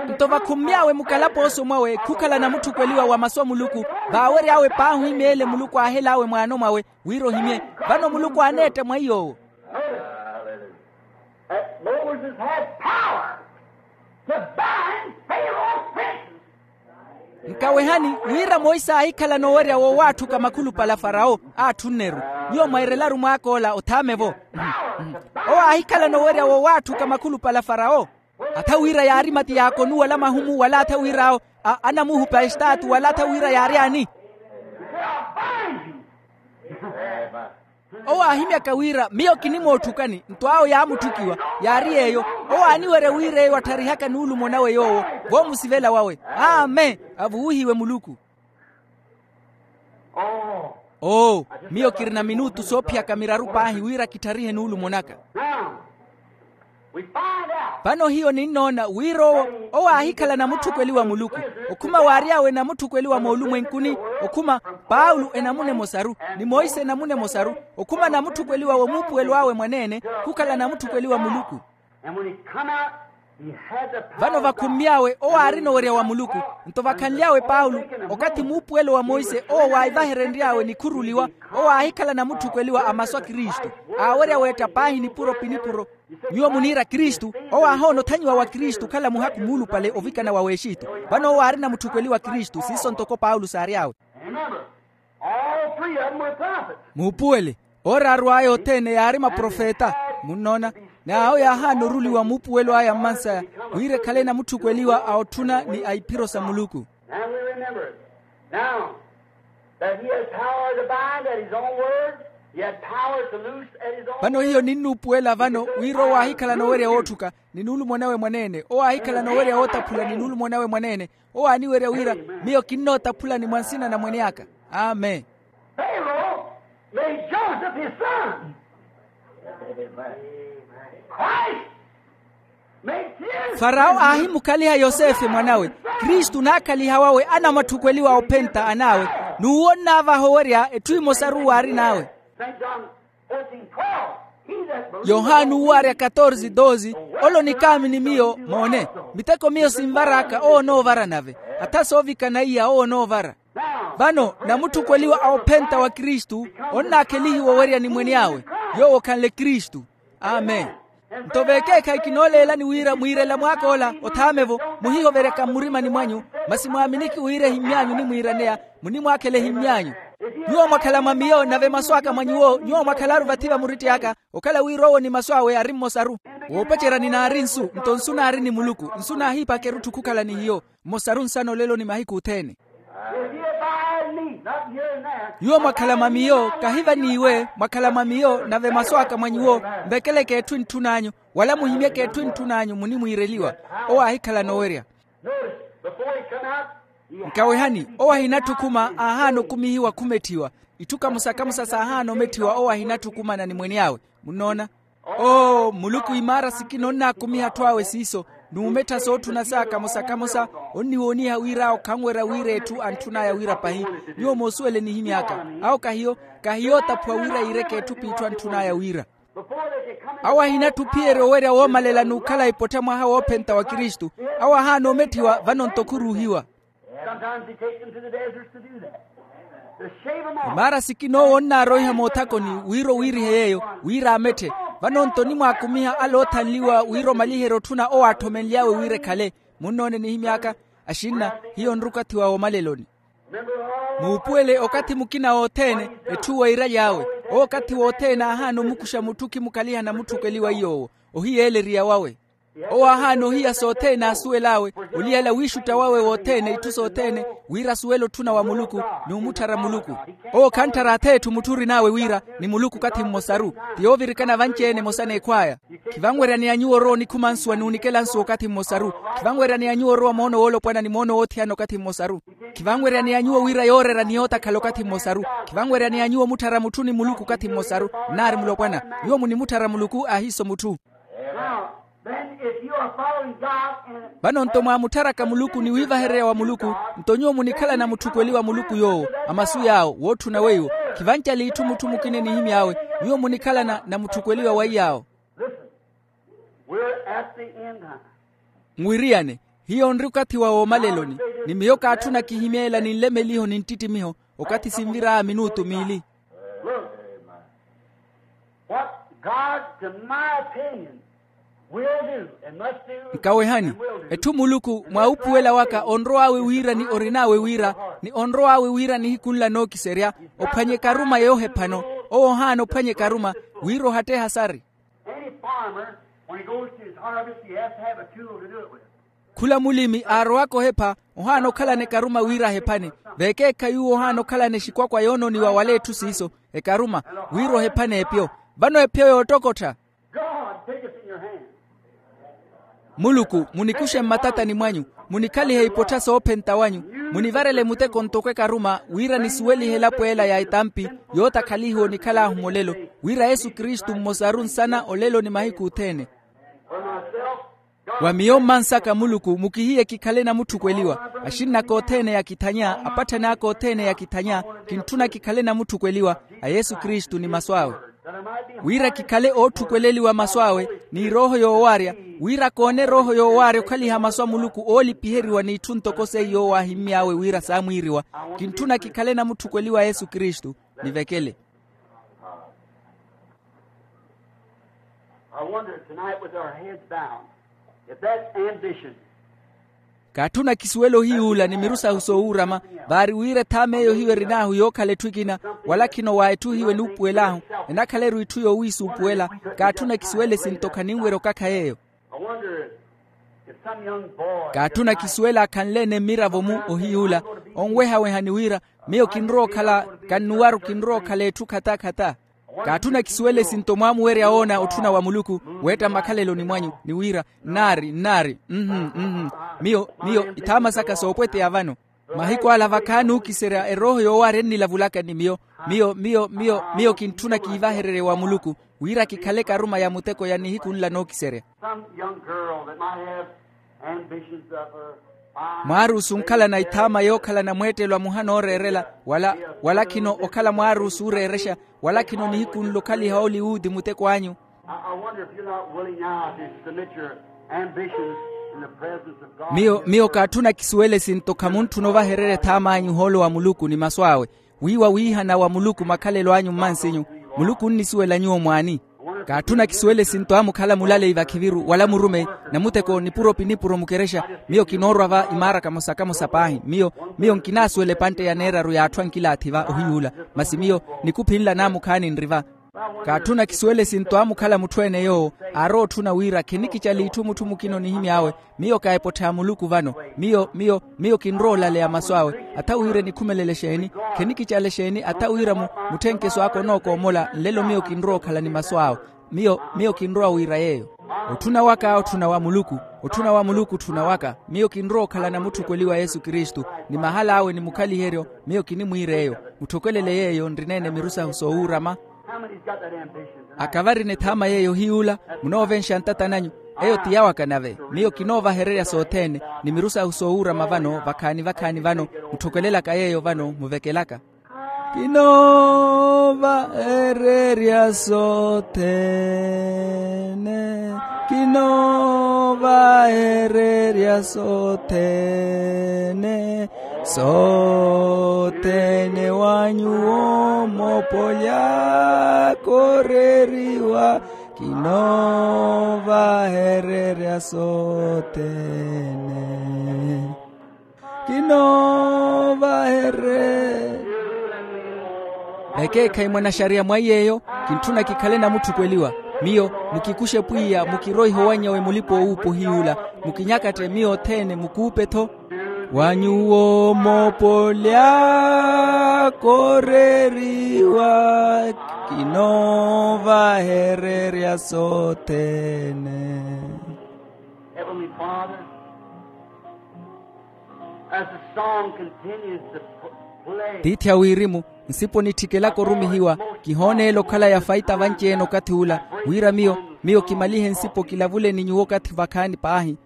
Nto vakhummy'awe mukalapooso mwawe khukhala namutthukweliwa wa masu a muluku, vaawery'awe paahi ohimya ele muluku aahel'awe mwaano mwawe, wira ohimye. Vano muluku aaneetta mwa iy'owo. Moses had power to bind Pharaoh's princes. Nkawehani, wira monse aahikhala noowerya woowatthuka makhulupale a farawo. Aatthunn'eru. Nyuwo mwairelaru mwaak'ola othaame-vo. Owo aahikhala noowerya woowatthuka makhulupale a farawo. Atha wira yaari mati yaakonuwala mahumu wala atha wir'awo anamuhupa estaatu wala atha wira yaaryaani. Owo aahimyaka wira miyo kinimootthukani nto awo yaamutthukiwa. Yaari yeeyo. Owo aaniwerya wira eyo attharihaka nuulumo nawe yoowo, voomusivela wawe. Amen. Avuwihiwe muluku. Oo, miyo kirina minutu soophiyaka miraru paahi wira kittharihe nuulumo naka. Vano hiyo ninnoona wira owo, owo aahikhala namutthukweliwa muluku. Okhuma waary'awe namutthukweliwa moolumwenkuni. Okhuma, paulo enamuna emosaru, ni monse enamuna emosaru. Okhuma namutthukweliwa woomuupuwelo awe mwaneene, khukhala namutthukweliwa muluku. Vano vakhummy'awe owo aarina owerya wa muluku. Nto vakhanly'awe paulo, okathi muupuwelo wa monse owo waahivaherenry'awe nikhuruliwa, owo aahikhala namutthukweliwa a masu a kristu, aawerya weetta paahi nipuro pi nipuro. Nyuwo muniira kristu, owo aahoona othanyiwa wa kristu okhala muhakhu muulupale ovikana wa w'exitu. Vano owo aarina mutthukweliwa kristu siiso ntoko paulo saary'awe. Remember, all three of them were prophets. Muupuwele, ooraaru aya othene yaari maprofeta. Munnoona? N'awo yaahaana oruliwa muupuwelo aya mmansaya, wira ekhale namutthukweliwa a otthuna ni a iphiro sa muluku. And we remember it now, that he has power to bind at his own word, he had power to loose at his own. Vano hiyo ninnuupuwela vano wira owo aahikhala n'owerya wootthuka ni nuulumo nawe mwaneene, owo aahikhala n'owerya wootaphula ni nuulumo nawe mwaneene. Owo aaniwerya wira, miyo kinnootaphulani mwa nsina na mwene aka. Amen. Pharaoh made Joseph his son. Christ made his. Farao aahimukhaliha yosefe mwanawe. Kristu naakhaliha wawe anamatthukweliwa ophenta an'awe. N'uwo nnaavaha owerya etthu emosaru waarin'awe. Saint John fourteen twelve. Yohani uwo aarya katorze doze, ole onikaami ni miyo moone, miteko miyo sinvar'aka owo onoovara nave, atha soovikana iya owo onoovara. Vano namutthukweliwa a ophenta wa kristu, onnaakhelihiwa owerya ni mwene awe, yoowo okhanle kristu. Amen. Nto vekeekhayi kinooleelani wira mwiirela mwaak'ola othaamevo, muhihoveryaka mmurimani mwanyu, masi mwaaminiki wira ehimmy'anyu onimwiiraneya, munimwaakhela ehimmy'anyu. Nyuwo mwakhala mwa miyo nave masu aka mwa nyuwo nyuwo mwakhalaru vathi va muritti aka, okhala wira owo ni masu awe ari mmosaru. Woopacerya ninaari nsu, nto nsu naari ni muluku, nsu naahiipaka erutthu khukhala ni hiyo. Mmosaru nsana olelo ni mahiku othene. Nyuwo mwakhala mwa miyo kahi vaniiwe, mwakhala mwa miyo nave masu aka mwa nyuwo. Nvekeleke etthu entthun'anyu, wala muhimyeke etthu entthun'anyu munimwiireliwa. Owo aahikhala n'owerya. Nkawehani, owo ahinatthi okhuma aahaana okumihiwa khumetthiwa. Itthu kamosa-kamosa saahaana ometthiwa owo ahinatthi okhumana ni mwene awe. Munnoona? Oo muluku imaara sikina onnaakumiha atthu awe siiso, n'umettha sootthuna saka kamosa-kamosa. Onniwooniha wira okhanwerya wira etthu antthun'aya wira pahi. Nyuwo moosuwele nihimy'aka. Awo kahiyo, kahiyo ootaphuwa wira yiireke etthu p'itthu antthun'aya wira. Awo ahinatthi ophiyerya owerya woomalela n'ukhala epottha mwaha woophenta wa kristu. Awo ahaana ometthiwa vano-nto khuruuhiwa. Sometimes he takes them to the deserts to do that, to shave them off. Maara sikina owo onnaaroiha moothakoni wira owiirihe yeeyo, wira ametthe. Vano-nto onimwaakumiha ale oothanliwa wira omaliherye otthuna owo aatthomenly'awe wira ekhale. Munnoone nihimy'aka, axinna, hiyo nrukathi wa woomaleloni. Muupuwele okathi mukina wothene, etthu weiiraly'awe. Owo okathi wothene aahaana omukuxa mutthu okhimukaliha namutthukweliwa iy'owo, ohiyeeleriya wawe. Owo aahaana ohiya sothene aasuwel'awe, oliyala wiixutta wawe wothene itthu sothene, wira asuwele otthuna wa muluku, n'umutthara muluku. Owo khantthara ath'etthu mutthu orin'awe wira ni muluku okathi mmosaru. Ti yoovirikana vanci-ene emosa n'ekhw'aya. Khivanweryaneya nyuwo orowa onikhuma nsuwa n'unikela nsuwa okathi mmosaru. Khivanweryaneya nyuwo orowa moono woolopwana ni moono woothiyana okathi mmosaru. Khivanweryaneya nyuwo wira yoorera ni yootakhala okathi mmosaru. Khivanweryaneya nyuwo omutthara mutthu ni muluku okathi mmosaru. Nnaari mulopwana. Nyuwo munimutthara muluku ahiiso mutthu. Now, then, if you are following God and vano-nto mwaamutharaka muluku ni wiivahererya wa muluku, nto nyuwo munikhalana mutthukweliwa muluku yoowo. A masu yaawo wootthuna weiwo. Khivancale itthu mutthu mukina enihimy'awe. Nyuwo munikhalana na mutthukweliwa wa iyaawo. Listen, we're at the end time. Nwiriyane, hiyo nri okathi wa woomaleloni. Ni miyo kaatthuna kihimeela ni nlemeliho ni nttittimiho, okathi sinvir'aya minutu miili. Look, what God, to my opinion, will do and must do. Nkawehani, and will do. Etthu muluku mwa upuwela waka onrow'awe wira ni orin'awe wira, ni onrow'awe wira nihiku nla nookiserya, ophwanye ekaruma yoohephano. Owo ohaana ophwanye ekaruma wira ohatteha sari. Any farmer, when he goes to his harvest, he has to have a tool to do it with. Khula mulimi aarowaka ohepha, ohaana okhalana ekaruma wira ahephane. Vekeekhayi uwo ohaana okhalana exikwakwa yoonooniwa wala etthu siiso, ekaruma, wira ohephane epyo. Vano epyo yoottokottha. God, take us in your hand. Muluku, munikuxe mmatatani mwanyu, munikhalihe ipottha soophenta wanyu, munivarele muteko ntoko ekaruma wira nisuwelihe elapo ela ya etampi, yootakhalihiwa onikhal'ahu mulelo, wira yesu kristu mmosaru nsana olelo ni mahiku othene. Wa miyo mmansaka muluku mukihiye kikhale namutthukweliwa. Axinn'aka othene yakithanya, apatthani aka othene yakithanya, kintthuna kikhale namutthukweliwa a yesu kristu ni masu awe. Wira kikhale ootthukweleliwa masu awe ni erooho yoowaarya, wira koone erooho yoowaarya okhaliha masu a muluku oolipiheriwa n'itthu ntoko seiyo owo aahimmy'awe wira saamwiiriwa. Kintthuna kikhale namutthukweliwa yesu kristu. Nivekele. I wonder tonight with our heads bowed if that's ambition. Kaatthuna kisuwela ohiyuula ni miru sahu soowuurama, vaari wira ethaama eyo hiyo erin'ahu yookhala etthu ekina, wala khino wa etthu hiyo enuupuwel'ahu, enakhala-ru itthu yoowiisuupuwela. Kaatthuna kisuwela esinto khaninwerya okakha yeeyo. I wonder if some young boy kaatthuna kisuwela akhanle-ene mmiravo-mu ohiyuula, onwehaweha ni wira, miyo kinrowa okhala, kannuwaru kinrowa okhala etthu khata khata. Kaatthuna kisuwela esinto mwaamuwerya woona otthuna wa muluku, weetta mmakhaleloni mwanyu ni wira, nnaari nnaari, mhm mhm. Miyo miyo ithaama saka soopweteya vano. Mahiku ala vakhaani ookiserya erooho yoowaari ennilavulaka ni miyo. Miyo miyo miyo miyo kintthuna kiivahererye wa muluku, wira kikhale karuma ya muteko ya nihiku nla nookiserya. Some young girl that might have ambitions of her fine mwaaruusu onkhalana ithaama yookhalana mweettelo a muhana ooreerela, wala wala khino okhala mwaaruusu ooreerexa, wala khino nihiku nla okhaliha oliwuudi muteko anyu. I, I wonder if you're not willing now to submit your ambitions in the presence of God. Miyo miyo kaatthuna kisuwela esinto khamuntthuna ovahererya ethaama anyu ohoolo wa muluku ni masu awe, wiiwa wiihana wa muluku makhalelo anyu mmansinyu. Muluku onnisuwela nyuwo mwaani? Kaatthuna kisuwela esinto amukhala mulaleyi vakhiviru wala murumeyi, namuteko nipuro pi nipuro mukerexa. Miyo kinoorwa va imaara kamosa kamosa paahi. Miyo miyo nkinaasuwela epantte ya neeraru y'atthu ankilaathi va ohiyuula. Masi miyo nikuphi nla naamukhaani nri va. Kaatthuna kisuwela esinto amukhala mutthu-ene yoowo aarowa otthuna wira khenikicala itthu mutthu mukina onihimy'awe. Miyo kaaepotthe a muluku vano. Miyo miyo miyo kinrowa olaleya masu awe. Atha wira enikhumelele exeeni? Khenikicala exeeni atha wira mu mutthenkeso aka onookoomola nlelo miyo kinrowa okhala ni masu awe. Miyo miyo kinrowa wira yeeyo. Otthuna waka otthuna wa muluku. Otthuna wa muluku otthuna waka. Miyo kinrowa okhala namutthukweliwa yesu kristu, ni mahala awe ni mukhaliheryo. Miyo kinimwiira eyo. Mutthokwelele yeeyo nrina-ene miru sahu soowuurama. How many's got that ambition tonight? Akavarina ethaama yeeyo hiyuula? Munoovenxa ntata nanyu. Eyo ti yawaka nave. Miyo kinoovahererya sothene ni miru sahu soowuurama vano vakhaani vakhaani vano. Mutthokwelelaka yeeyo vano muvekelaka. Kinoovahererya sothene. Kinoovahererya sothene. Sothene wa nyuwo moopolya kooreriwa. Kinoovahererya sothene. Kinoovahererya. Vekeekhayi mwanaxariya mwa iy'eyo. Kintthuna kikhale namutthukweliwa. Miyo mukikuxe pwiya mukiroihe owanny'awe mulipa-oowuupa ohiyuula. Mukinyakatte miyo othene mukuupe-tho. Wa nyuwo moopolya kooreriwa. Kinoovahererya sothene. Heavenly Father, as the song continues to play, tiithi a wirimu, nsipo nittikelaka orumihiwa. Kihooneela okhala ya faita vanci-ene okathi ula, wira miyo miyo kimalihe nsipo kilavule ni nyuwo okathi vakhaani paahi.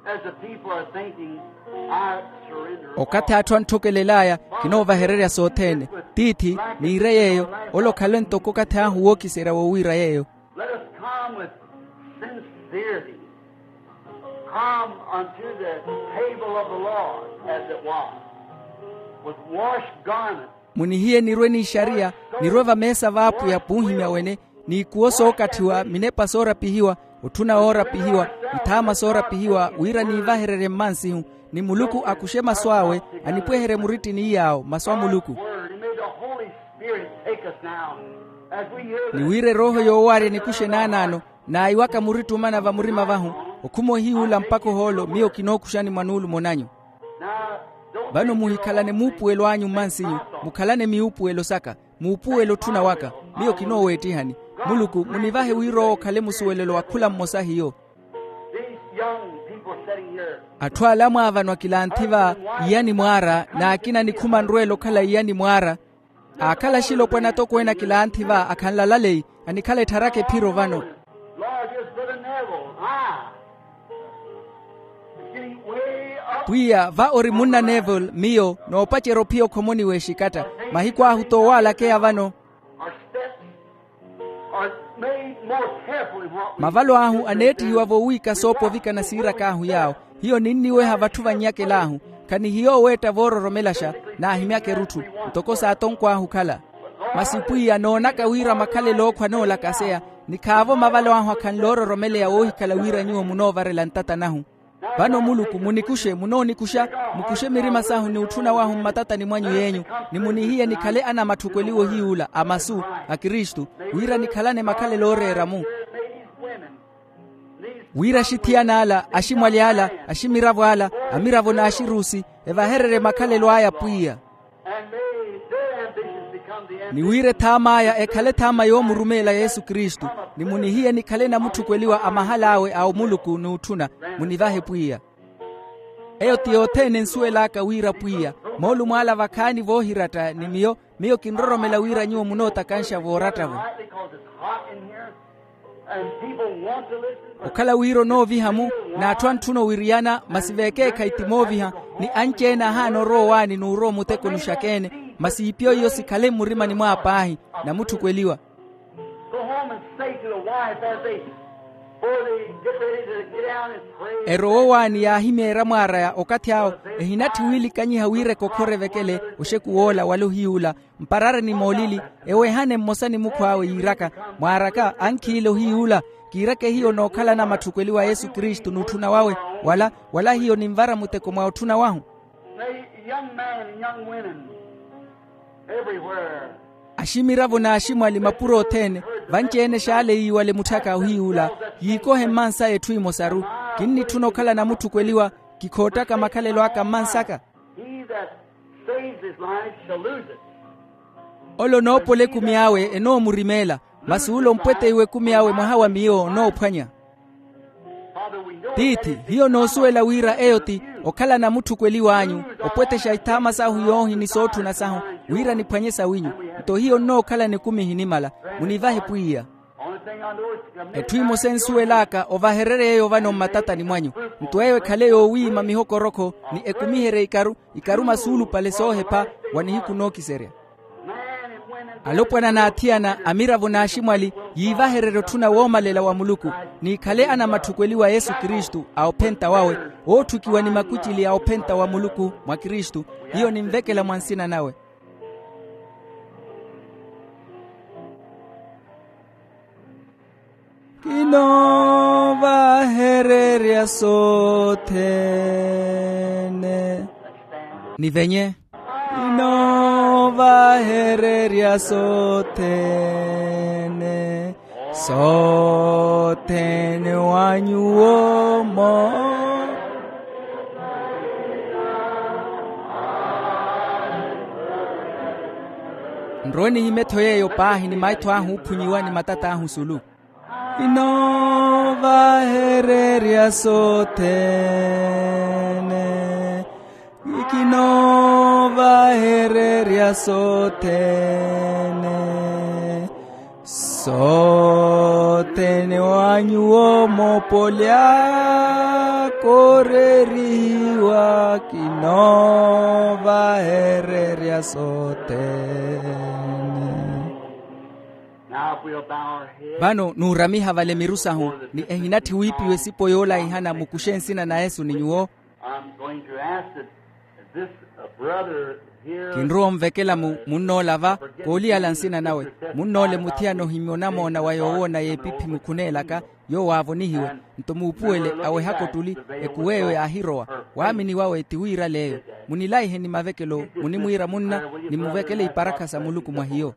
As the people are thinking, I surrender. Okathi atthu antthokelel'aya, kinoovahererya sothene. Tiithi niire yeeyo. Ole okhalwe ntoko okathi ahu wookiserya wowiira yeeyo. Let us come with sincerity. Come unto the table of the Lord, as it was, with washed garments. Munihiye nirwe n'ixariya, nirwe vameesa v'apwiya p'uhimya wene, n'ikuwo sookathiwa, minepa soorapihiwa, otthuna woorapihiwa, ithaama soorapihiwa wira niivahererye mmansihu, ni muluku akuxe masu awe, anipweherye murittini iy'awo masu a muluku. Word, and may the Holy Spirit take us now, as we hear the ni wira erooho yoowaarya nikuxe naanaano, naayiwaka muritthu omana va murima vahu, okhuma ohiyuula mpakha ohoolo miyo kinookuxani mwa nuulumo nanyu. Vano muhikhalane muupuwelo anyu mmansinyu, mukhalane miuupuwelo saka. Muupuwelo otthuna waka, miyo kinooweettihani. Muluku munivahe wira owo okhale musuwelelo wa khula mmosa hiyo. These young people sitting here, atthu ala mwaavano akilanthi va, iyani mwaara n'akina nikhuma nrweela okhala iyani mwaara. Aakhala axilopwana atokweene akilanthi va akhanlala leyi, anikhala ettharaka ephiro vano. Lord, here's Brother Neville. Ah. He's getting way up. Pwiya va ori munna neville miyo, noopacerya ophiya okhomoni w'exikatta. Mahiku ahu t'owalakeya vano. Our steps. Mavalo ahu aneettihiwa voowiika soopo ovikana siirak'ahu yaawo. Hiyo ninniweha vatthu vannyakela ahu. Khanihiyo oweetta voororomelaxa. Naahimyaka erutthu ntoko saatonkw'ahu okhala. Masi pwiya noonaka wira makhalelo ookhwa anoolakaseya. Ni khaavo mavalo ahu akhanle oororomeleya woohikhala wira nyuwo munoovarela ntata nahu. Vano muluku munikuxe munoonikuxa. Mukuxe mirima sahu ni utthuna wahu mmatatani mwanyu yeenyu. Ni munihiye nikhale anamatthukweliwa ohiyuula a masu a kristu. Wira nikhalane makhalelo ooreera-mu. Wira axithiyana ala aximwali ala aximiravo ala amiravo n'axirusi evahererye makhalelo aya pwiya. Ni wira ethaam'aya ekhale ethaama yoomurumeela yesu kristu. Ni munihiye nikhale namutthukweliwa a mahal'awe a omuluku n'utthuna. Munivahe pwiya. Eyo ti yothene ensuwel'aka wira pwiya moolumo ala vakhaani voohiratta ni miyo. Miyo kinroromela wira nyuwo munootakanxa vooratta-vo. Okhala wira onooviha-mu n'atthu antthu onowiriyana masi veekeekhayi ti mooviha. Ni anci-ene ahaana orowa owaani n'urowa omutekoni oxaka-ene. Masi iipyo iyo sikhale mmurimani mwaya paahi. Namutthukweliwa. Erowa owaani yaahimyeerya mwaaraya okathi awo. Ehinatthi wiilikanyiha wira ekokhora evekele oxeku woola wala ohiyuula. Mparareni moolili eweehane mmosa ni mukhw'awe yiiraka, mwaaraka ankhiile ohiyuula. Kiiraka ehiyo nookhala anamatthukweliwa a yesu kristu n'utthuna wawe wala wala hiyo ninvara muteko mwa otthuna wahu. Aximiravo n'aximwali mapuro othene vanci-ene xaale yiiwale mutthaka ohiyuula. Yiikohe mmansaya etthu emosaru. Kinnitthuna okhala namutthukweliwa. Kikhoottaka makhalelo aka mmansaka. Ole onoopola ekumi awe enoomurimeela. Masi ole ompweteiwa ekumi awe mwaha wa miyo onoophwanya. Tiithi hiyo noosuwela wira eyo ti okhala namutthukweliw'anyu. Opwetexa ithaama sahu yoohi ni sootthuna sahu wira niphwanye sawinyu. Nto hiyo nnookhala nikumi ehinimala. Munivahe pwiya. Etthu emosa ensuwel'aka ovahererye eyo vano mmatatani mwanyu. Nto eyo ekhale yoowiima mihokorokho ni ekumiherye ikaru ikaru masuulupale soohepha wa nihiku nookiserya. Alopwana n'athiyana amiravo n'aximwali yiivahererye otthuna woomalela wa muluku. Niikhale anamatthukweliwa a yesu kristu a ophenta wawe ootthukiwa ni makucili a ophenta wa muluku mwa kristu. Hiyo ninvekela mwa nsina nawe. Kinoovahererya sothene. Nivenye. Kinoovahererya sothene sothene wa nyuwo mo. Nrowe nihimetho yeeyo paahi ni maitho ahu oophunyiwa ni matat'ahu sulu. Kinoovahererya sothene. Kinoovahererya sothene sothene wa nyuwo moopoli aka oreerihiwa kinoovahererya sothene. Vano nuuramiha vale miru sahu ni ehinatthi wiipiwa esipo yoolaihana mukuxe nsina na yesu ni nyuwo. Kinrowa onvekela munn'ola va kooliyala nsina nawe. Munn'ole muthiyana ohimyonamoona wa yoowoona y'epiphi mukhuneelaka yoowo aavonihiwe. Nto muupuwele awehaka ottuli ekuw'eyo yaahirowa. Waamini wawe ti wiirale eyo. Munilaihe ni mavekelo munimwiira munna nimuvekele iparakha sa muluku mwa hiyo.